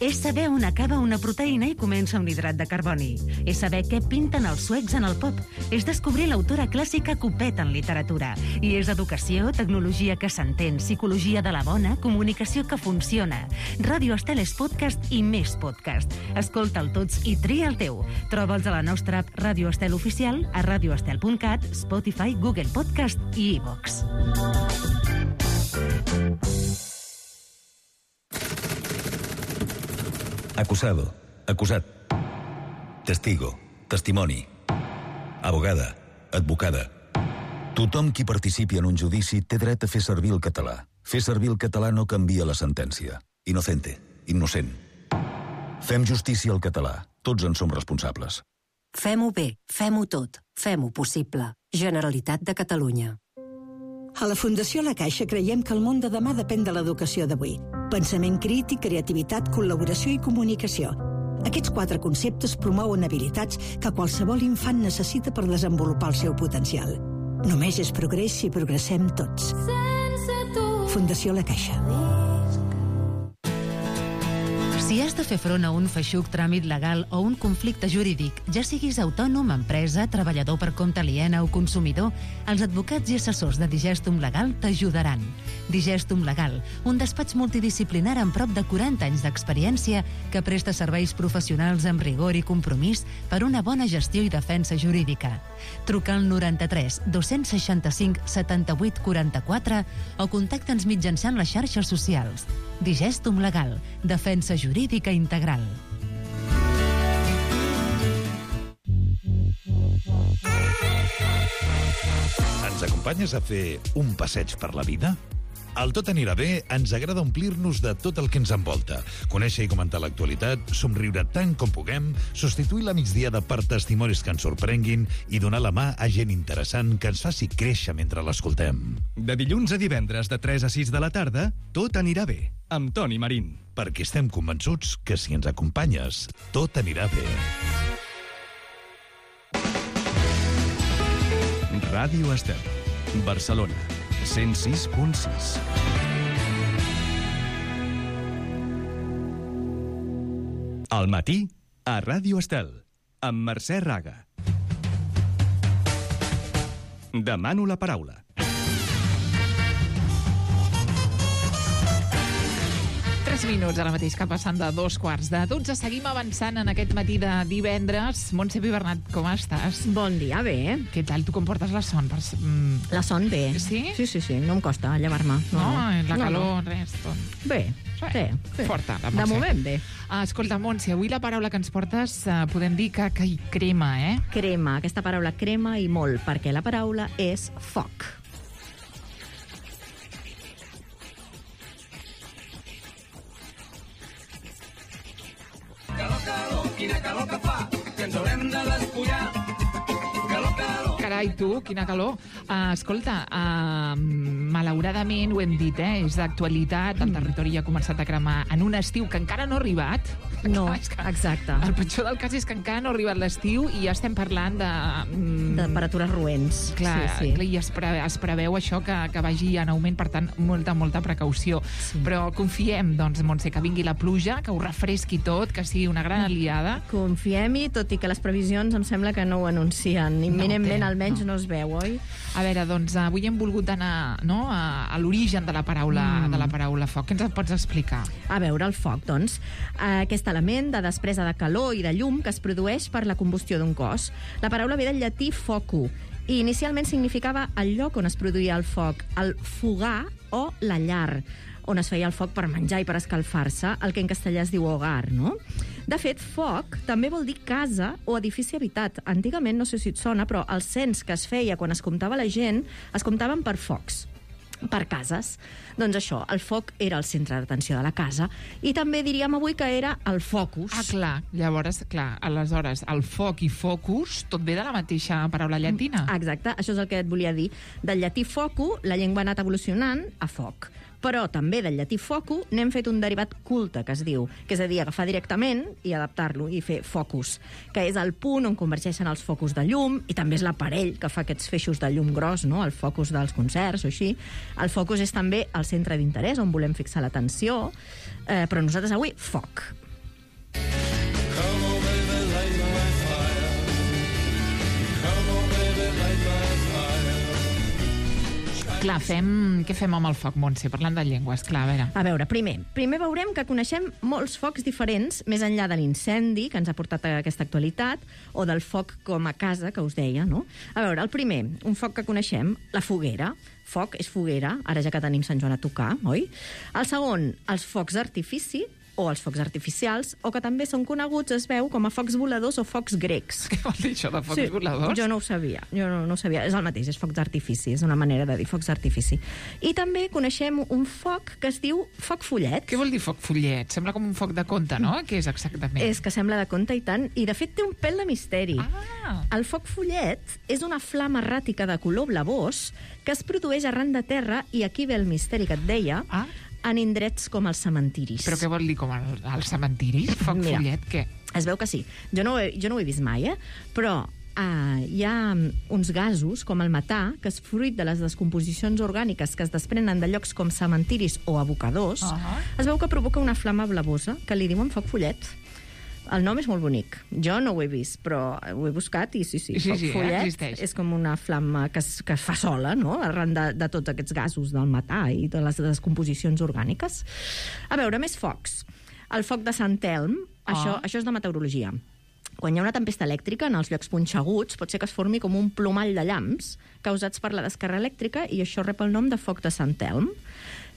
És saber on acaba una proteïna i comença un hidrat de carboni. És saber què pinten els suecs en el pop. És descobrir l'autora clàssica que ho peta en literatura. I és educació, tecnologia que s'entén, psicologia de la bona, comunicació que funciona. Ràdio Estel és podcast i més podcast. Escolta'l tots i tria el teu. Troba'ls a la nostra app Ràdio Estel Oficial, a radioestel.cat, Spotify, Google Podcast i iVox. Acusado, acusat. Testigo, testimoni. Abogada, advocada. Tothom qui participi en un judici té dret a fer servir el català. Fer servir el català no canvia la sentència. Inocente, innocent. Fem justícia al català. Tots en som responsables. Fem-ho bé, fem-ho tot, fem-ho possible. Generalitat de Catalunya. A la Fundació La Caixa creiem que el món de demà depèn de l'educació d'avui. Pensament crític, creativitat, col·laboració i comunicació. Aquests 4 conceptes promouen habilitats que qualsevol infant necessita per desenvolupar el seu potencial. Només és progrés si progressem tots. Fundació La Caixa. Si has de fer front a un feixuc tràmit legal o un conflicte jurídic, ja siguis autònom, empresa, treballador per compte aliena o consumidor, els advocats i assessors de Digestum Legal t'ajudaran. Digestum Legal, un despatx multidisciplinar amb prop de 40 anys d'experiència que presta serveis professionals amb rigor i compromís per una bona gestió i defensa jurídica. Truca al 93 265 78 44 o contacta'ns mitjançant les xarxes socials. Digestum Legal, defensa jurídica integral. Ens acompanyes a fer un passeig per la vida? Al Tot anirà bé ens agrada omplir-nos de tot el que ens envolta, conèixer i comentar l'actualitat, somriure tant com puguem, substituir la migdiada per testimonis que ens sorprenguin i donar la mà a gent interessant que ens faci créixer mentre l'escoltem. De dilluns a divendres de 3 a 6 de la tarda, Tot anirà bé, amb Toni Marín. Perquè estem convençuts que si ens acompanyes, tot anirà bé. Ràdio Estel, Barcelona, 106.6. Al matí, a Ràdio Estel, amb Mercè Raga. Demano la paraula. Minuts ara mateix que passen de 2:15. Seguim avançant en aquest matí de divendres. Montse Pibernat, com estàs? Bon dia, bé. Què tal? Tu com portes la son? La son bé. Sí? Sí, no em costa llevar-me. La calor, res, tot. Bé, sí. Forta, la Montse. De moment, bé. Escolta, Montse, avui la paraula que ens portes podem dir que hi crema, eh? Crema, aquesta paraula crema i molt, perquè la paraula és foc. Quina calor que fa, que ens haurem de despullar. Calor. Carai, tu, quina calor. Escolta, malauradament, ho hem dit, és d'actualitat, el territori ja ha començat a cremar en un estiu que encara no ha arribat. No, exacte. El pitjor del cas és que encara no ha arribat l'estiu i ja estem parlant de temperatures roents. Clar, sí. I es preveu això que vagi en augment, per tant, molta precaució. Sí. Però confiem, doncs, Montse, que vingui la pluja, que ho refresqui tot, que sigui una gran aliada. Confiem-hi, tot i que les previsions em sembla que no ho anuncien. Imminentment, almenys, no es veu, oi? A veure, doncs, avui hem volgut anar a l'origen de la paraula foc. Què ens pots explicar? A veure, el foc, doncs, aquest element de despresa de calor i de llum que es produeix per la combustió d'un cos. La paraula ve del llatí focu, i inicialment significava el lloc on es produïa el foc, el fogar o la llar, on es feia el foc per menjar i per escalfar-se, el que en castellà es diu hogar, no? De fet, foc també vol dir casa o edifici habitat. Antigament, no sé si et sona, però el cens que es feia quan es comptava la gent, es comptaven per focs, per cases. Doncs això, el foc era el centre d'atenció de la casa i també diríem avui que era el focus. Ah, clar. Llavors, aleshores, el foc i focus tot ve de la mateixa paraula llatina. Exacte, això és el que et volia dir. Del llatí focu, la llengua ha anat evolucionant a foc. Però també del llatí focu n'hem fet un derivat culte, que es diu, que és a dir, agafar directament i adaptar-lo i fer focus, que és el punt on convergeixen els focus de llum i també és l'aparell que fa aquests feixos de llum gros, no? El focus dels concerts o així. El focus és també el centre d'interès on volem fixar l'atenció, però nosaltres avui, foc. Clar, què fem amb el foc, Montse? Parlant de llengües, clar, a veure, primer veurem que coneixem molts focs diferents, més enllà de l'incendi que ens ha portat a aquesta actualitat, o del foc com a casa, que us deia, no? A veure, el primer, un foc que coneixem, la foguera. Foc és foguera, ara ja que tenim Sant Joan a tocar, oi? El segon, els focs d'artifici, o els focs artificials, o que també són coneguts, es veu, com a focs voladors o focs grecs. Què vol dir això de focs voladors? Jo no ho sabia, és el mateix, és focs d'artifici, és una manera de dir focs d'artifici. I també coneixem un foc que es diu foc follet. Què vol dir foc follet? Sembla com un foc de conte, no? Què és exactament? És que sembla de conte i tant, i de fet té un pèl de misteri. El foc follet és una flama erràtica de color blavós que es produeix arran de terra, i aquí ve el misteri que et deia, en indrets com els cementiris. Però què vol dir com els cementiris? Foc follet, què? Es veu que sí. Jo no ho he vist mai, però hi ha uns gasos, com el metà, que és fruit de les descomposicions orgàniques que es desprenen de llocs com cementiris o abocadors, es veu que provoca una flama blavosa, que li diuen foc follet. El nom és molt bonic. Jo no ho he vist, però ho he buscat i sí, foc follet és com una flama que es fa sola, no?, arran de tots aquests gasos del metà i de les descomposicions orgàniques. A veure, més focs. El foc de Sant Elm, això és de meteorologia. Quan hi ha una tempesta elèctrica en els llocs punxeguts, pot ser que es formi com un plomall de llamps causats per la descàrrega elèctrica, i això rep el nom de foc de Sant Elm.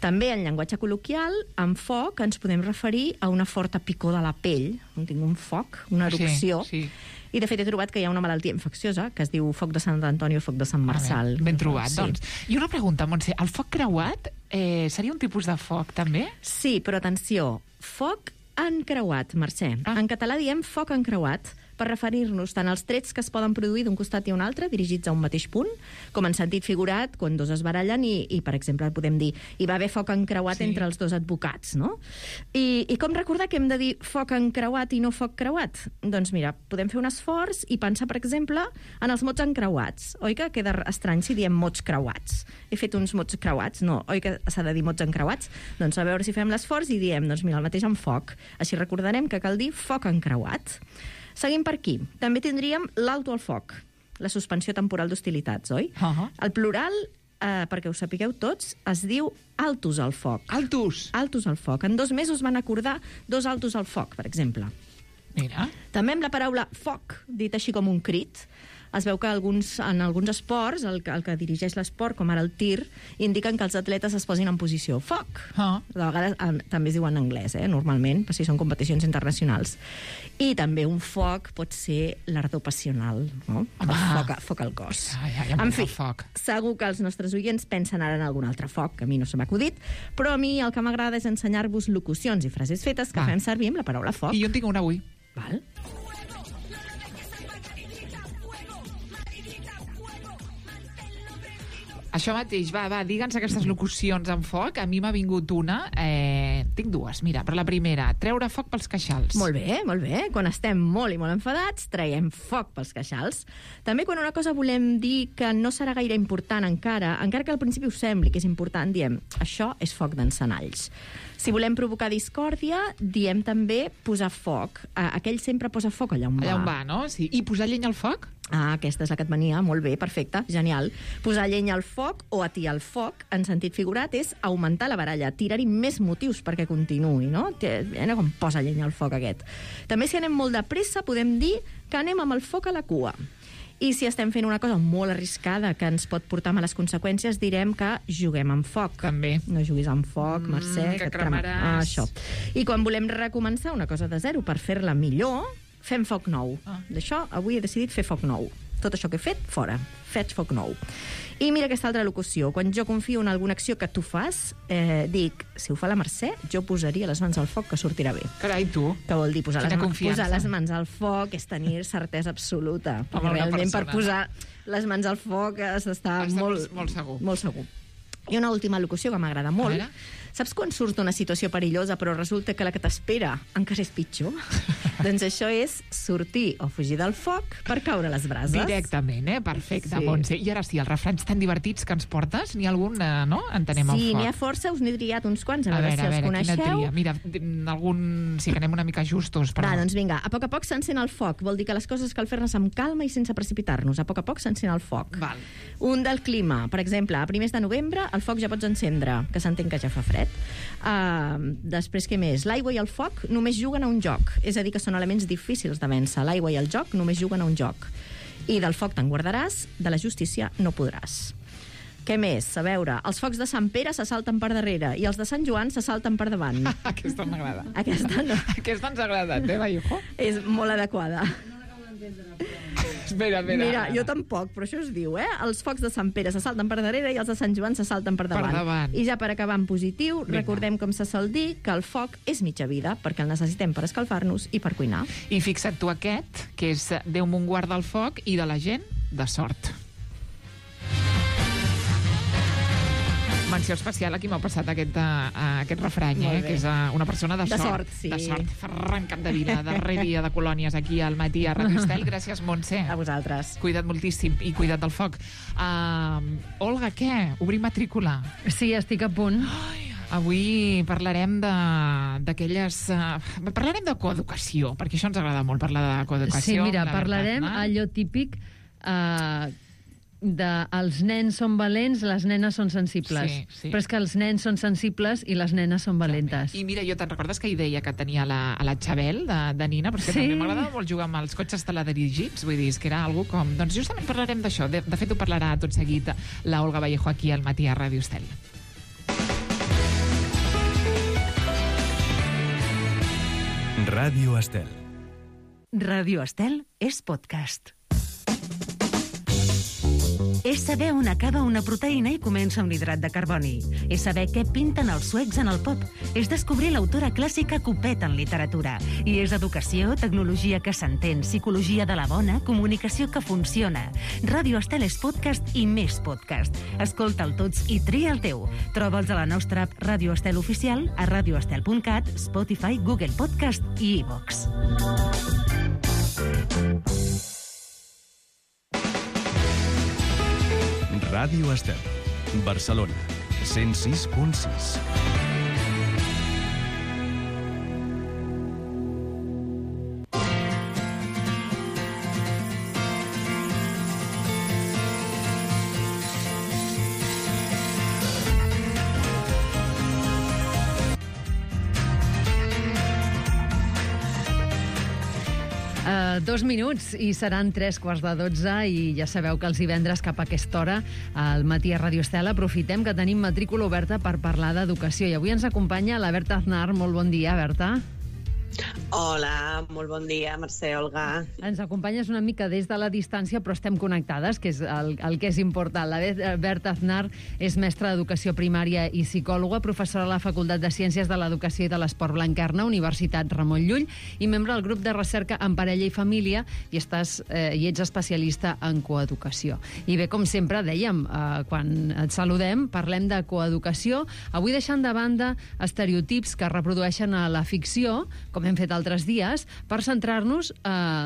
També, en llenguatge col·loquial, amb foc ens podem referir a una forta picor de la pell. Tinc un foc, una erupció. I, de fet, he trobat que hi ha una malaltia infecciosa que es diu foc de Sant Antoni o foc de Sant Marçal. Ben trobat, doncs. I una pregunta, Montse, el foc creuat seria un tipus de foc, també? Sí, però atenció, foc encreuat, Mercè. En català diem foc encreuat, per referir-nos tant als trets que es poden produir d'un costat i un altre, dirigits a un mateix punt, com en sentit figurat, quan dos es barallen i per exemple, podem dir, hi va haver foc encreuat entre els dos advocats, no? I com recordar que hem de dir foc encreuat i no foc creuat? Doncs mira, podem fer un esforç i pensar, per exemple, en els mots encreuats. Oi que queda estrany si diem mots creuats? He fet uns mots creuats, no? Oi que s'ha de dir mots encreuats? Doncs a veure si fem l'esforç i diem, doncs mira, el mateix amb foc. Així recordarem que cal dir foc encreuat. Seguim per aquí. També tindríem l'alto al foc, la suspensió temporal d'hostilitats, oi? El plural, perquè ho sapigueu tots, es diu altus al foc. Altus? Altus al foc. En 2 mesos van acordar 2 altus al foc, per exemple. Mira. També amb la paraula foc, dit així com un crit, es veu que en alguns esports, el que dirigeix l'esport, com ara el tir, indiquen que els atletes es posin en posició foc. De vegades també es diu en anglès, normalment, si són competicions internacionals. I també un foc pot ser l'ardor passional, no? Foc al cos. En fi, segur que els nostres oients pensen ara en algun altre foc, que a mi no se m'ha acudit, però a mi el que m'agrada és ensenyar-vos locucions i frases fetes que fem servir amb la paraula foc. I jo en tinc una avui. Val. Això mateix, va, digue'ns aquestes locucions en foc. A mi m'ha vingut una, tinc 2, mira, però la primera, treure foc pels queixals. Molt bé, molt bé. Quan estem molt i molt enfadats, traiem foc pels queixals. També quan una cosa volem dir que no serà gaire important encara que al principi us sembli que és important, diem, això és foc d'encenalls. Si volem provocar discòrdia, diem també posar foc. Aquell sempre posa foc allà on va. Allà on va, no? Sí. I posar llenya al foc? Aquesta és la que et venia, molt bé, perfecte, genial. Posar llenya al foc o atiar el foc, en sentit figurat, és augmentar la baralla, tirar-hi més motius perquè continuï, no? Com posa llenya al foc aquest. També si anem molt de pressa podem dir que anem amb el foc a la cua. I si estem fent una cosa molt arriscada que ens pot portar males conseqüències, direm que juguem amb foc. També. No juguis amb foc, Mercè. Que cremaràs. Això. I quan volem recomençar una cosa de zero per fer-la millor, fem foc nou. D'això, avui he decidit fer foc nou. Tot això que he fet, fora. Faig foc nou. I mira aquesta altra locució. Quan jo confio en alguna acció que tu fas, dic, si ho fa la Mercè, jo posaria les mans al foc, que sortirà bé. Carai, tu. Que vol dir posar Quina les mans al foc és tenir certesa absoluta. Amb Perquè una realment persona. per posar les mans al foc has d'estar molt segur. Molt segur. I una última locució que m'agrada molt. Saps quan surts d'una situació perillosa però resulta que la que t'espera encara és pitjor? Doncs això és sortir o fugir del foc per caure a les brases. Directament, perfecte, Sí. Montse. I ara sí, els refranys tan divertits que ens portes, n'hi ha algun, no? Entenem el Sí, foc. n'hi ha força, us n'he triat uns quants, a veure si els quina coneixeu. tria. Mira, algun... Sí que anem una mica justos, però... Va, doncs vinga, a poc s'encén el foc. Vol dir que les coses cal fer-les amb calma i sense precipitar-nos. A poc s'encén el foc. Val. Un del clima. Per exemple, a primers de novembre el foc ja pots encendre, que s'entén que ja fa fred. Després, què més? L'aigua i el foc només juguen a un joc. És a dir, que són elements difícils de vèncer. L'aigua i el joc només juguen a un joc. I del foc te'n guardaràs, de la justícia no podràs. Què més? A veure, els focs de Sant Pere se salten per darrere i els de Sant Joan se salten per davant. Aquesta m'agrada. Aquesta no. Aquesta ens agrada, Vallejo? És molt adequada. Espera. Mira, jo tampoc, però això es diu, Els focs de Sant Pere se salten per darrere i els de Sant Joan se salten per davant. Per davant. I ja per acabar en positiu, recordem, com se sol dir, que el foc és mitja vida, perquè el necessitem per escalfar-nos i per cuinar. I fixa't tu aquest, que és Déu mon guarda el foc i de la gent, de sort. Menció especial a qui m'ha passat aquest refrany, que és una persona de sort. Sí. De sort. Ferran Capdevila, darrer dia de colònies aquí al matí a Radio Estel. Gràcies, Montse. A vosaltres. Cuida't moltíssim i cuida't del foc. Olga, què? Obrim matrícula? Sí, estic a punt. Avui parlarem d'aquelles... Parlarem de coeducació, perquè això ens agrada molt, parlar de coeducació. Sí, mira, parlarem allò típic els nens són valents, les nenes són sensibles. Sí. Però és que els nens són sensibles i les nenes són valentes. I mira, jo te'n recordes que hi deia que tenia la Xabel de Nina? Però és que també m'agradava molt jugar amb els cotxes teledirigits, vull dir, és que era algo com... Doncs justament parlarem d'això. De fet, ho parlarà tot seguit la Olga Vallejo aquí al matí a Ràdio Estel. Ràdio Estel. Ràdio Estel és podcast. És saber on acaba una proteïna i comença un hidrat de carboni. És saber què pinten els suecs en el pop. És descobrir l'autora clàssica Copet en literatura. I és educació, tecnologia que s'entén, psicologia de la bona, comunicació que funciona. Ràdio Estel és podcast i més podcast. Escolta'l tots i tria el teu. Troba'ls a la nostra app Ràdio Estel Oficial, a radioestel.cat, Spotify, Google Podcast i iVox. Ràdio Estel, Barcelona, 106.6. Dos minuts i seran 3:15 i ja sabeu que els divendres cap a aquesta hora al matí a Ràdio Estel aprofitem que tenim matrícula oberta per parlar d'educació i avui ens acompanya la Berta Aznar. Molt bon dia, Berta. Hola, molt bon dia, Mercè, Olga. Ens acompanyes una mica des de la distància, però estem connectades, que és el que és important. La Berta Aznar és mestra d'Educació Primària i psicòloga, professora a la Facultat de Ciències de l'Educació i de l'Esport Blanquerna, Universitat Ramon Llull, i membre del grup de recerca en parella i família, i ets especialista en coeducació. I bé, com sempre, dèiem, quan et saludem, parlem de coeducació, avui deixant de banda estereotips que reprodueixen a la ficció, com hem fet altres dies, per centrar-nos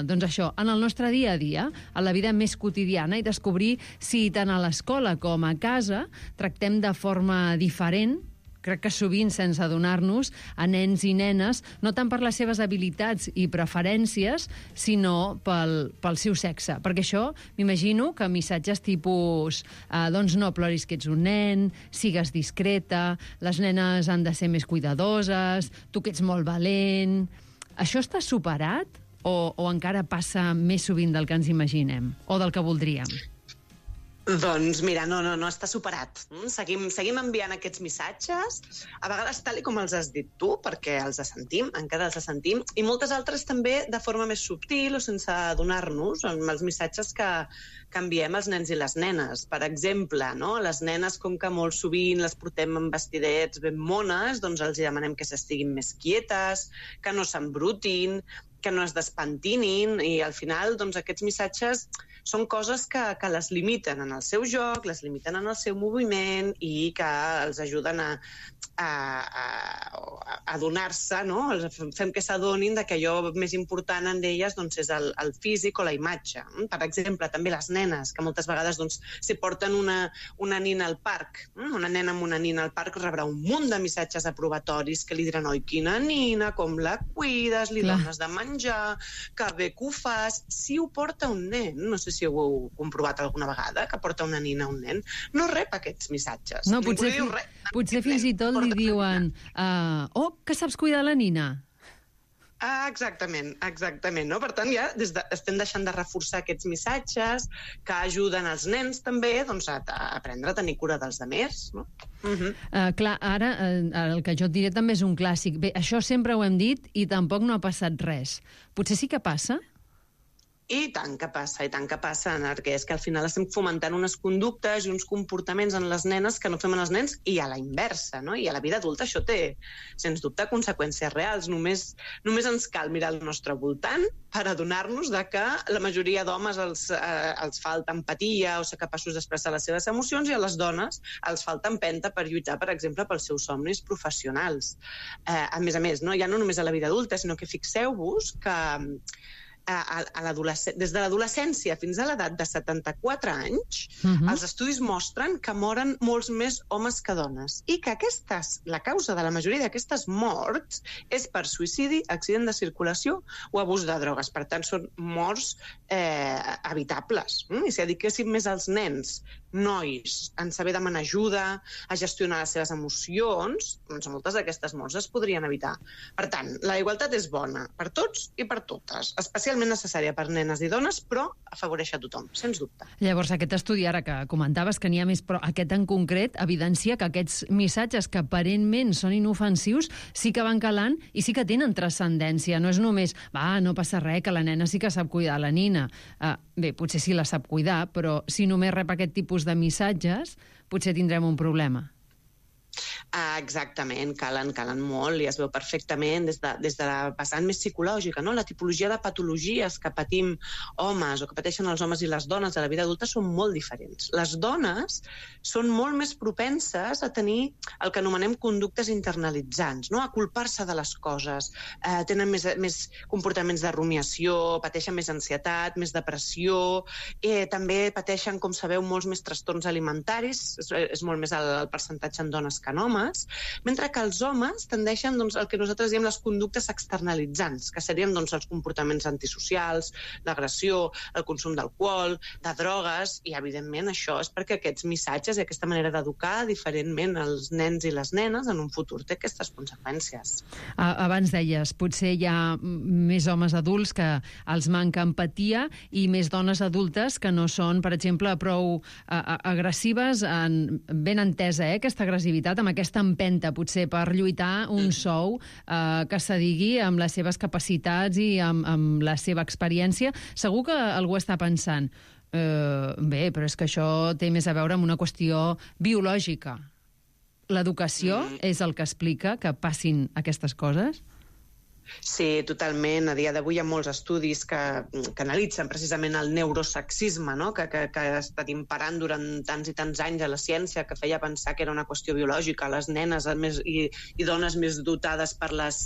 doncs això, en el nostre dia a dia, a la vida més quotidiana, i descobrir si tant a l'escola com a casa tractem de forma diferent, crec que sovint sense adonar-nos, a nens i nenes, no tant per les seves habilitats i preferències, sinó pel seu sexe. Perquè això, m'imagino que missatges tipus doncs no ploris que ets un nen, sigues discreta, les nenes han de ser més cuidadoses, tu que ets molt valent... Això està superat? o encara passa més sovint del que ens imaginem o del que voldríem? Doncs mira, no està superat. Seguim enviant aquests missatges, a vegades tal com els has dit tu, perquè els sentim, encara els sentim, i moltes altres també de forma més subtil o sense adonar-nos, amb els missatges que enviem als nens i les nenes. Per exemple, no? Les nenes, com que molt sovint les portem amb vestidets ben mones, doncs els demanem que s'estiguin més quietes, que no s'embrutin, que no es despentinin, i al final doncs, aquests missatges són coses que les limiten en el seu joc, les limiten en el seu moviment i que els ajuden a adonar-se, no? Fem que s'adonin que allò més important en elles doncs, és el físic o la imatge. Per exemple, també les nenes, que moltes vegades doncs, si porten una nina al parc, una nena amb una nina al parc rebrà un munt de missatges aprovatoris que li diran, oi, quina nina, com la cuides, li dones de menjar, que bé que ho fas. Si ho porta un nen, no sé si ho heu comprovat alguna vegada, que porta una nina a un nen, no rep aquests missatges. No, potser fins i tot li diuen que saps cuidar la nina. Exactament, no? Per tant, ja estem deixant de reforçar aquests missatges que ajuden els nens també doncs, a aprendre a tenir cura dels altres, no? Clar, ara el que jo et diré també és un clàssic. Bé, això sempre ho hem dit i tampoc no ha passat res. Potser sí que passa? I tant que passa, perquè és que al final estem fomentant unes conductes i uns comportaments en les nenes que no fem en els nens i a la inversa, no? I a la vida adulta això té, sens dubte, conseqüències reals. Només ens cal mirar al nostre voltant per adonar-nos que la majoria d'homes els falta empatia o ser capaços d'expressar les seves emocions i a les dones els falta empenta per lluitar, per exemple, pels seus somnis professionals. A més, no? Ja no només a la vida adulta, sinó que fixeu-vos que des de l'adolescència fins a l'edat de 74 anys, els estudis mostren que moren molts més homes que dones i que la causa de la majoria d'aquestes morts és per suïcidi, accident de circulació o abús de drogues. Per tant, són morts evitables. I si dediquéssim més als nens, nois, en saber demanar ajuda, a gestionar les seves emocions, doncs moltes d'aquestes morts es podrien evitar. Per tant, la igualtat és bona per tots i per totes, especialment necessària per nenes i dones, però afavoreix a tothom, sens dubte. Llavors, aquest estudi ara que comentaves que n'hi ha més, però aquest en concret evidencia que aquests missatges que aparentment són inofensius sí que van calant i sí que tenen transcendència. No és només, no passa res, que la nena sí que sap cuidar la nina. Bé, potser sí la sap cuidar, però si només rep aquest tipus de missatges, potser tindrem un problema. Exactament, calen molt i es veu perfectament des de la vessant més psicològica, no? La tipologia de patologies que patim homes o que pateixen els homes i les dones a la vida adulta són molt diferents. Les dones són molt més propenses a tenir el que anomenem conductes internalitzants, no? A culpar-se de les coses, tenen més comportaments de rumiació, pateixen més ansietat, més depressió, també pateixen, com sabeu, molts més trastorns alimentaris, és molt més el percentatge en dones que en homes, mentre que els homes tendeixen el que nosaltres diem les conductes externalitzants, que serien els comportaments antisocials, l'agressió, el consum d'alcohol, de drogues, i evidentment això és perquè aquests missatges i aquesta manera d'educar diferentment els nens i les nenes en un futur té aquestes conseqüències. Abans deies, potser hi ha més homes adults que els manca empatia i més dones adultes que no són, per exemple, prou agressives, ben entesa aquesta agressivitat, amb aquesta empenta, potser, per lluitar un sou que s'adigui amb les seves capacitats i amb la seva experiència. Segur que algú està pensant, bé, però és que això té més a veure amb una qüestió biològica. L'educació és el que explica que passin aquestes coses? Sí, totalment. A dia d'avui hi ha molts estudis que analitzen precisament el neurosexisme, no? que ha estat imperant durant tants i tants anys a la ciència, que feia pensar que era una qüestió biològica. Les nenes i dones més dotades per les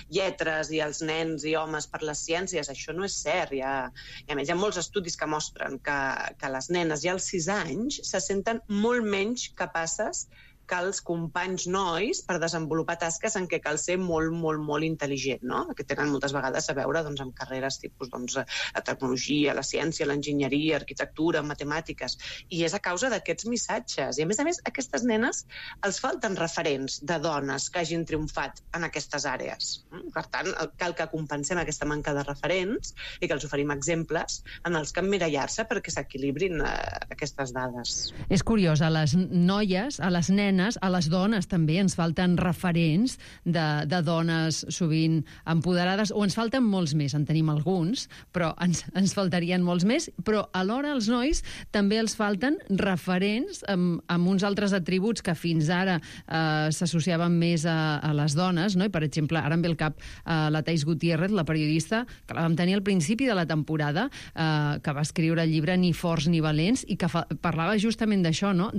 lletres i els nens i homes per les ciències. Això no és cert. I a més, hi ha molts estudis que mostren que les nenes ja als 6 anys se senten molt menys capaces que els companys nois per desenvolupar tasques en què cal ser molt, molt, molt intel·ligent, no? Que tenen moltes vegades a veure doncs, amb carreres tipus la tecnologia, la ciència, l'enginyeria, arquitectura, matemàtiques, i és a causa d'aquests missatges. I a més, aquestes nenes els falten referents de dones que hagin triomfat en aquestes àrees. Per tant, cal que compensem aquesta manca de referents i que els oferim exemples en els que emmirallar-se perquè s'equilibrin aquestes dades. És curiós, a les noies, a les nenes, a les dones també ens falten referents de dones sovint empoderades, o ens falten molts més, en tenim alguns, però ens faltarien molts més, però alhora als nois també els falten referents amb uns altres atributs que fins ara s'associaven més a les dones, no? I, per exemple, ara em ve al cap la Thais Gutiérrez, la periodista, que la vam tenir al principi de la temporada, que va escriure el llibre Ni forts ni valents, i que parlava justament d'això, no?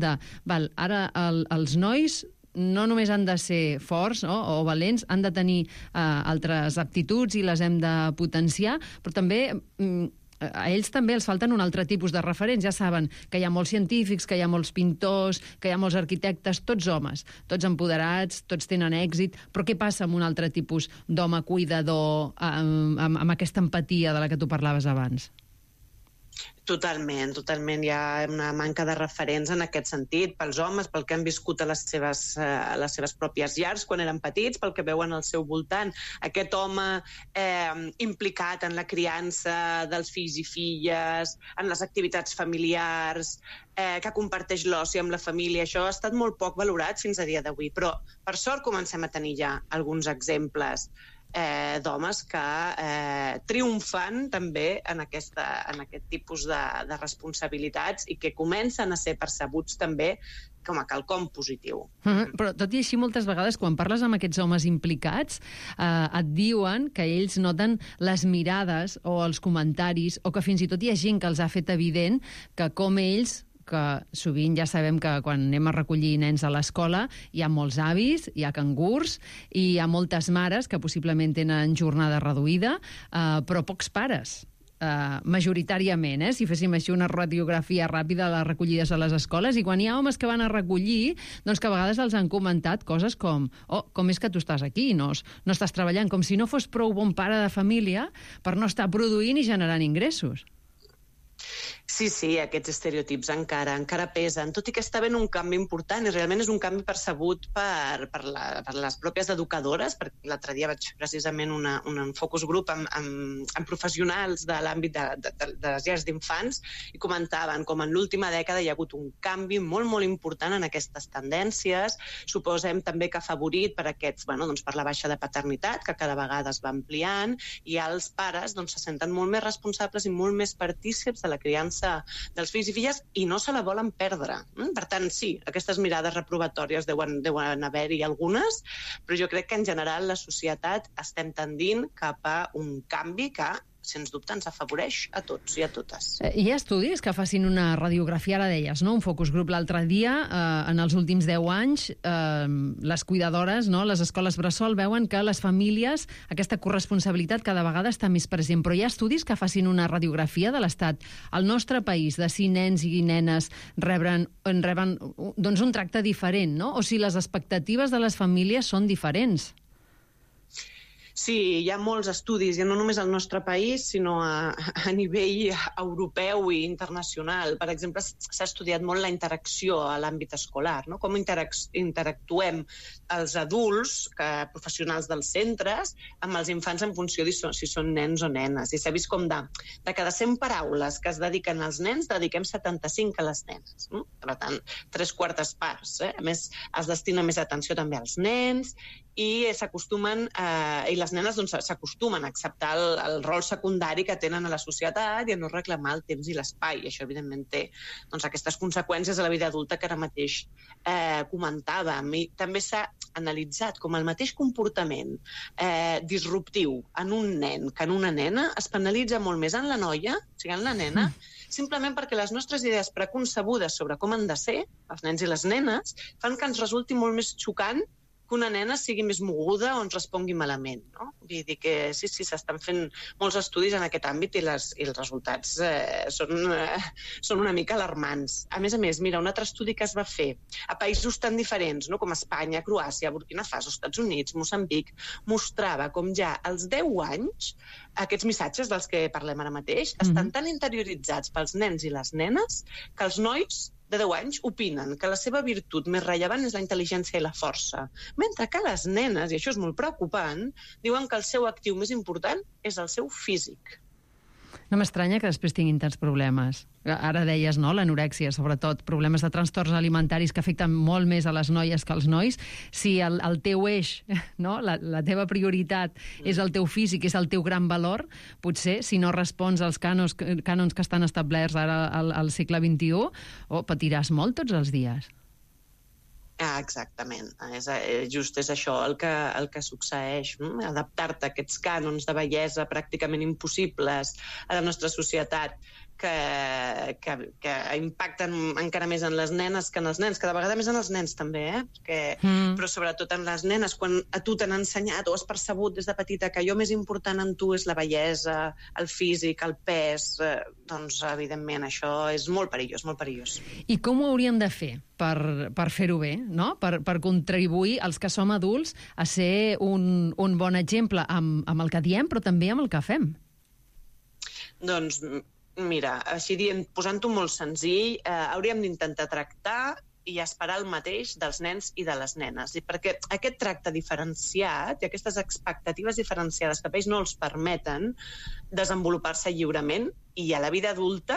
Ara els nois no només han de ser forts o valents, han de tenir altres aptituds i les hem de potenciar, però també a ells també els falten un altre tipus de referents. Ja saben que hi ha molts científics, que hi ha molts pintors, que hi ha molts arquitectes, tots homes, tots empoderats, tots tenen èxit, però què passa amb un altre tipus d'home cuidador, amb aquesta empatia de la que tu parlaves abans? Totalment. Hi ha una manca de referents en aquest sentit, pels homes, pel que han viscut a les seves pròpies llars quan eren petits, pel que veuen al seu voltant. Aquest home implicat en la criança dels fills i filles, en les activitats familiars, que comparteix l'oci amb la família. Això ha estat molt poc valorat fins a dia d'avui, però per sort comencem a tenir ja alguns exemples d'homes que triomfan també en aquest tipus de responsabilitats i que comencen a ser percebuts també com a quelcom positiu. Però tot i així, moltes vegades, quan parles amb aquests homes implicats, et diuen que ells noten les mirades o els comentaris, o que fins i tot hi ha gent que els ha fet evident que com ells, que sovint ja sabem que quan anem a recollir nens a l'escola hi ha molts avis, hi ha cangurs i hi ha moltes mares que possiblement tenen jornada reduïda, però pocs pares. Majoritàriament, si féssim així una radiografia ràpida de les recollides a les escoles, i quan hi ha homes que van a recollir, doncs que a vegades els han comentat coses com com és que tu estàs aquí, no estàs treballant, com si no fos prou bon pare de família per no estar produint i generant ingressos. Sí, aquests estereotips encara pesen, tot i que està havent un canvi important, i realment és un canvi percebut per les pròpies educadores, perquè l'altre dia vaig fer precisament un focus group amb professionals de l'àmbit de les llars d'infants, i comentaven com en l'última dècada hi ha hagut un canvi molt, molt important en aquestes tendències. Suposem també que ha afavorit per la baixa de paternitat, que cada vegada es va ampliant, i els pares se senten molt més responsables i molt més partícips de la criança dels fills i filles, i no se la volen perdre. Per tant, sí, aquestes mirades reprovatòries deuen haver-hi algunes, però jo crec que en general la societat estem tendint cap a un canvi que sens dubte ens afavoreix a tots i a totes. Hi ha estudis que facin una radiografia, ara deies, un focus group l'altre dia, en els últims 10 anys, les cuidadores, les escoles bressol, veuen que les famílies, aquesta corresponsabilitat cada vegada està més present, però hi ha estudis que facin una radiografia de l'estat. Al nostre país, de si nens i nenes reben un tracte diferent, o si les expectatives de les famílies són diferents. Sí, hi ha molts estudis, i no només al nostre país, sinó a nivell europeu i internacional. Per exemple, s'ha estudiat molt la interacció a l'àmbit escolar, com interactuem els adults, professionals dels centres, amb els infants en funció de si són nens o nenes. I s'ha vist com de cada 100 paraules que es dediquen als nens, dediquem 75 a les nenes. Per tant, 3/4 parts. A més, es destina més atenció també als nens, i les nenes s'acostumen a acceptar el rol secundari que tenen a la societat i a no reclamar el temps i l'espai. I això, evidentment, té aquestes conseqüències a la vida adulta que ara mateix comentàvem. I també s'ha analitzat com el mateix comportament disruptiu en un nen que en una nena es penalitza molt més en la noia, o sigui, en la nena, simplement perquè les nostres idees preconcebudes sobre com han de ser els nens i les nenes fan que ens resulti molt més xocant que una nena sigui més moguda o ens respongui malament, no? Vull dir que sí, s'estan fent molts estudis en aquest àmbit i els resultats són una mica alarmants. A més, mira, un altre estudi que es va fer a països tan diferents, no? Com Espanya, Croàcia, Burkina Faso, Estats Units, Moçambic, mostrava com ja als 10 anys aquests missatges dels que parlem ara mateix estan tan interioritzats pels nens i les nenes que els nois de 10 anys opinen que la seva virtut més rellevant és la intel·ligència i la força, mentre que les nenes, i això és molt preocupant, diuen que el seu actiu més important és el seu físic. No m'estranya que després tinguin tants problemes. Ara deies, no?, l'anorèxia, sobretot, problemes de trastorns alimentaris que afecten molt més a les noies que als nois. Si el teu eix, no?, la teva prioritat és el teu físic, és el teu gran valor, potser, si no respons als cànons que estan establerts ara al segle XXI, patiràs molt tots els dies. Exactament. Just és això el que succeeix. Adaptar-te a aquests cànons de bellesa pràcticament impossibles a la nostra societat que impacten encara més en les nenes que en els nens, cada vegada més en els nens també, però sobretot en les nenes, quan a tu t'han ensenyat o has percebut des de petita que allò més important en tu és la bellesa, el físic, el pes, doncs evidentment això és molt perillós, molt perillós. I com ho hauríem de fer per fer-ho bé, no? Per contribuir els que som adults a ser un bon exemple amb el que diem, però també amb el que fem? Doncs mira, així dient, posant-ho molt senzill, hauríem d'intentar tractar i esperar el mateix dels nens i de les nenes. I perquè aquest tracte diferenciat i aquestes expectatives diferenciades que a ells no els permeten desenvolupar-se lliurement i a la vida adulta,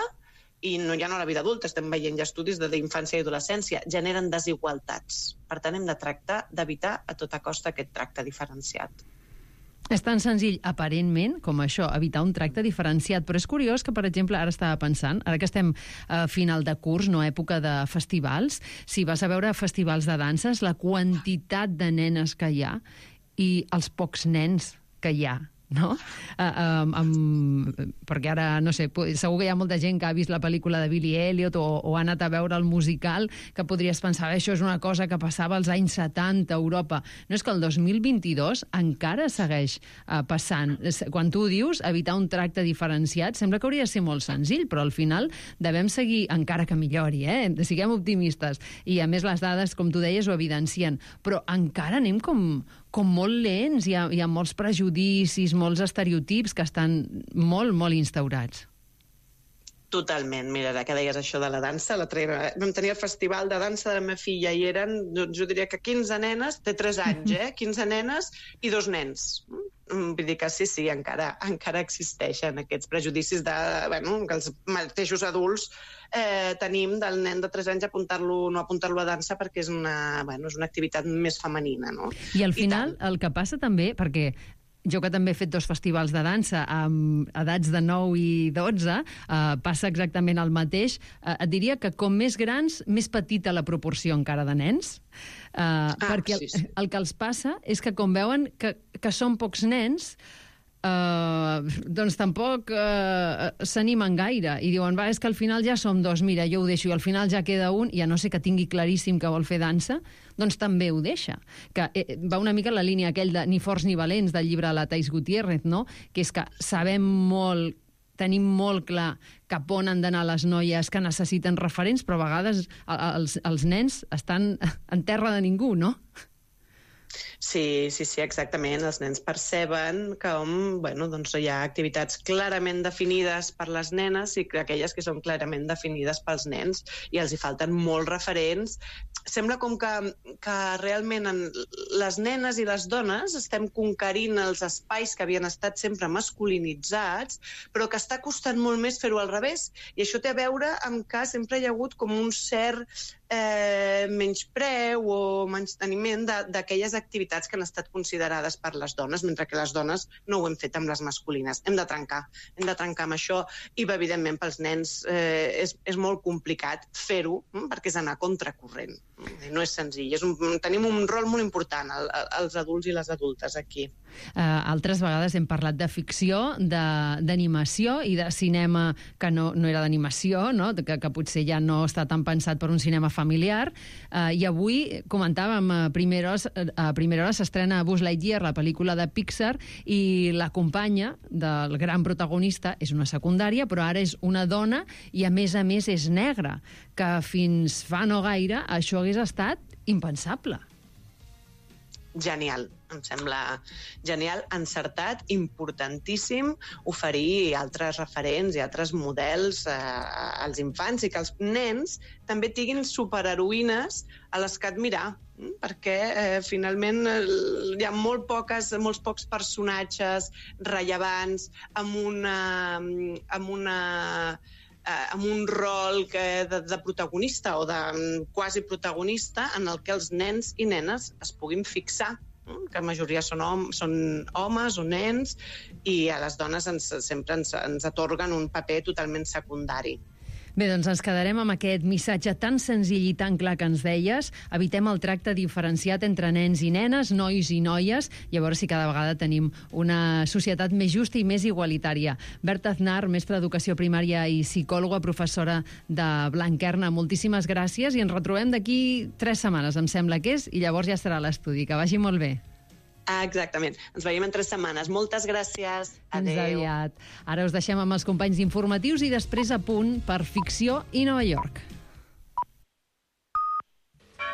i ja no a la vida adulta, estem veient ja estudis d'infància i adolescència, generen desigualtats. Per tant, hem de tractar d'evitar a tota costa aquest tracte diferenciat. És tan senzill, aparentment, com això, evitar un tracte diferenciat, però és curiós que, per exemple, ara estava pensant, ara que estem a final de curs, no època de festivals, si vas a veure festivals de danses, la quantitat de nenes que hi ha i els pocs nens que hi ha, no? Perquè ara, no sé, segur que hi ha molta gent que ha vist la pel·lícula de Billy Elliot o ha anat a veure el musical, que podries pensar, això és una cosa que passava als anys 70 a Europa. No, és que el 2022 encara segueix passant. Quan tu dius evitar un tracte diferenciat, sembla que hauria de ser molt senzill, però al final devem seguir, encara que millori, siguem optimistes. I a més les dades, com tu deies, ho evidencien. Però encara anem com molt lents, hi ha molts prejudicis, molts estereotips que estan molt, molt instaurats. Totalment. Mira, ara que deies això de la dansa, vam tenir el festival de dansa de la meva filla i eren, jo diria que 15 nenes, té 3 anys, 15 nenes i 2 nens. Vull dir que sí, encara existeixen aquests prejudicis que els mateixos adults tenim del nen de 3 anys no apuntar-lo a dansa perquè és una activitat més femenina, no? I al final el que passa també, perquè jo que també he fet 2 festivals de dansa amb edats de 9 i 12, passa exactament el mateix. Et diria que com més grans, més petita la proporció encara de nens, perquè el que els passa és que com veuen que són pocs nens, doncs tampoc s'animen gaire i diuen, és que al final ja som 2, mira, jo ho deixo, i al final ja queda un, i a no ser que tingui claríssim que vol fer dansa, doncs també ho deixa. Que va una mica en la línia aquell de Ni forts ni valents del llibre de la Thais Gutiérrez, no? Que és que sabem molt, tenim molt clar cap on han d'anar les noies que necessiten referents, però a vegades els nens estan en terra de ningú, no? Sí, exactament. Els nens perceben que hi ha activitats clarament definides per les nenes i aquelles que són clarament definides pels nens i els hi falten molts referents. Sembla com que realment les nenes i les dones estem conquerint els espais que havien estat sempre masculinitzats, però que està costant molt més fer-ho al revés. I això té a veure amb que sempre hi ha hagut com un cert menyspreu o menysteniment d'aquelles activitats que han estat considerades per les dones, mentre que les dones no ho hem fet amb les masculines. Hem de trencar amb això i, evidentment, pels nens és molt complicat fer-ho perquè és anar contracorrent. No és senzill. Tenim un rol molt important, els adults i les adultes, aquí. Altres vegades hem parlat de ficció, d'animació i de cinema que no era d'animació, no? que potser ja no està tan pensat per un cinema familiar. I avui comentàvem, a primera hora s'estrena Buzz Lightyear, la pel·lícula de Pixar, i la companya del gran protagonista és una secundària, però ara és una dona i, a més, és negra, que fins fa no gaire això hagués estat impensable. Genial, em sembla genial, encertat, importantíssim oferir altres referents i altres models als infants i que els nens també tinguin superheroïnes a les que admirar, perquè finalment hi ha molts pocs personatges rellevants amb un rol de protagonista o de quasi protagonista en el que els nens i nenes es puguin fixar, que la majoria són homes o nens, i a les dones sempre ens atorguen un paper totalment secundari. Bé, doncs ens quedarem amb aquest missatge tan senzill i tan clar que ens deies. Evitem el tracte diferenciat entre nens i nenes, nois i noies, i a veure si cada vegada tenim una societat més justa i més igualitària. Berta Aznar, mestra d'Educació Primària i psicòloga, professora de Blanquerna, moltíssimes gràcies i ens retrobem d'aquí 3 setmanes, em sembla que és, i llavors ja estarà a l'estudi. Que vagi molt bé. Exactament. Ens veiem en 3 setmanes. Moltes gràcies. Adéu. Fins aviat. Ara us deixem amb els companys informatius i després a punt per Ficció i Nova York.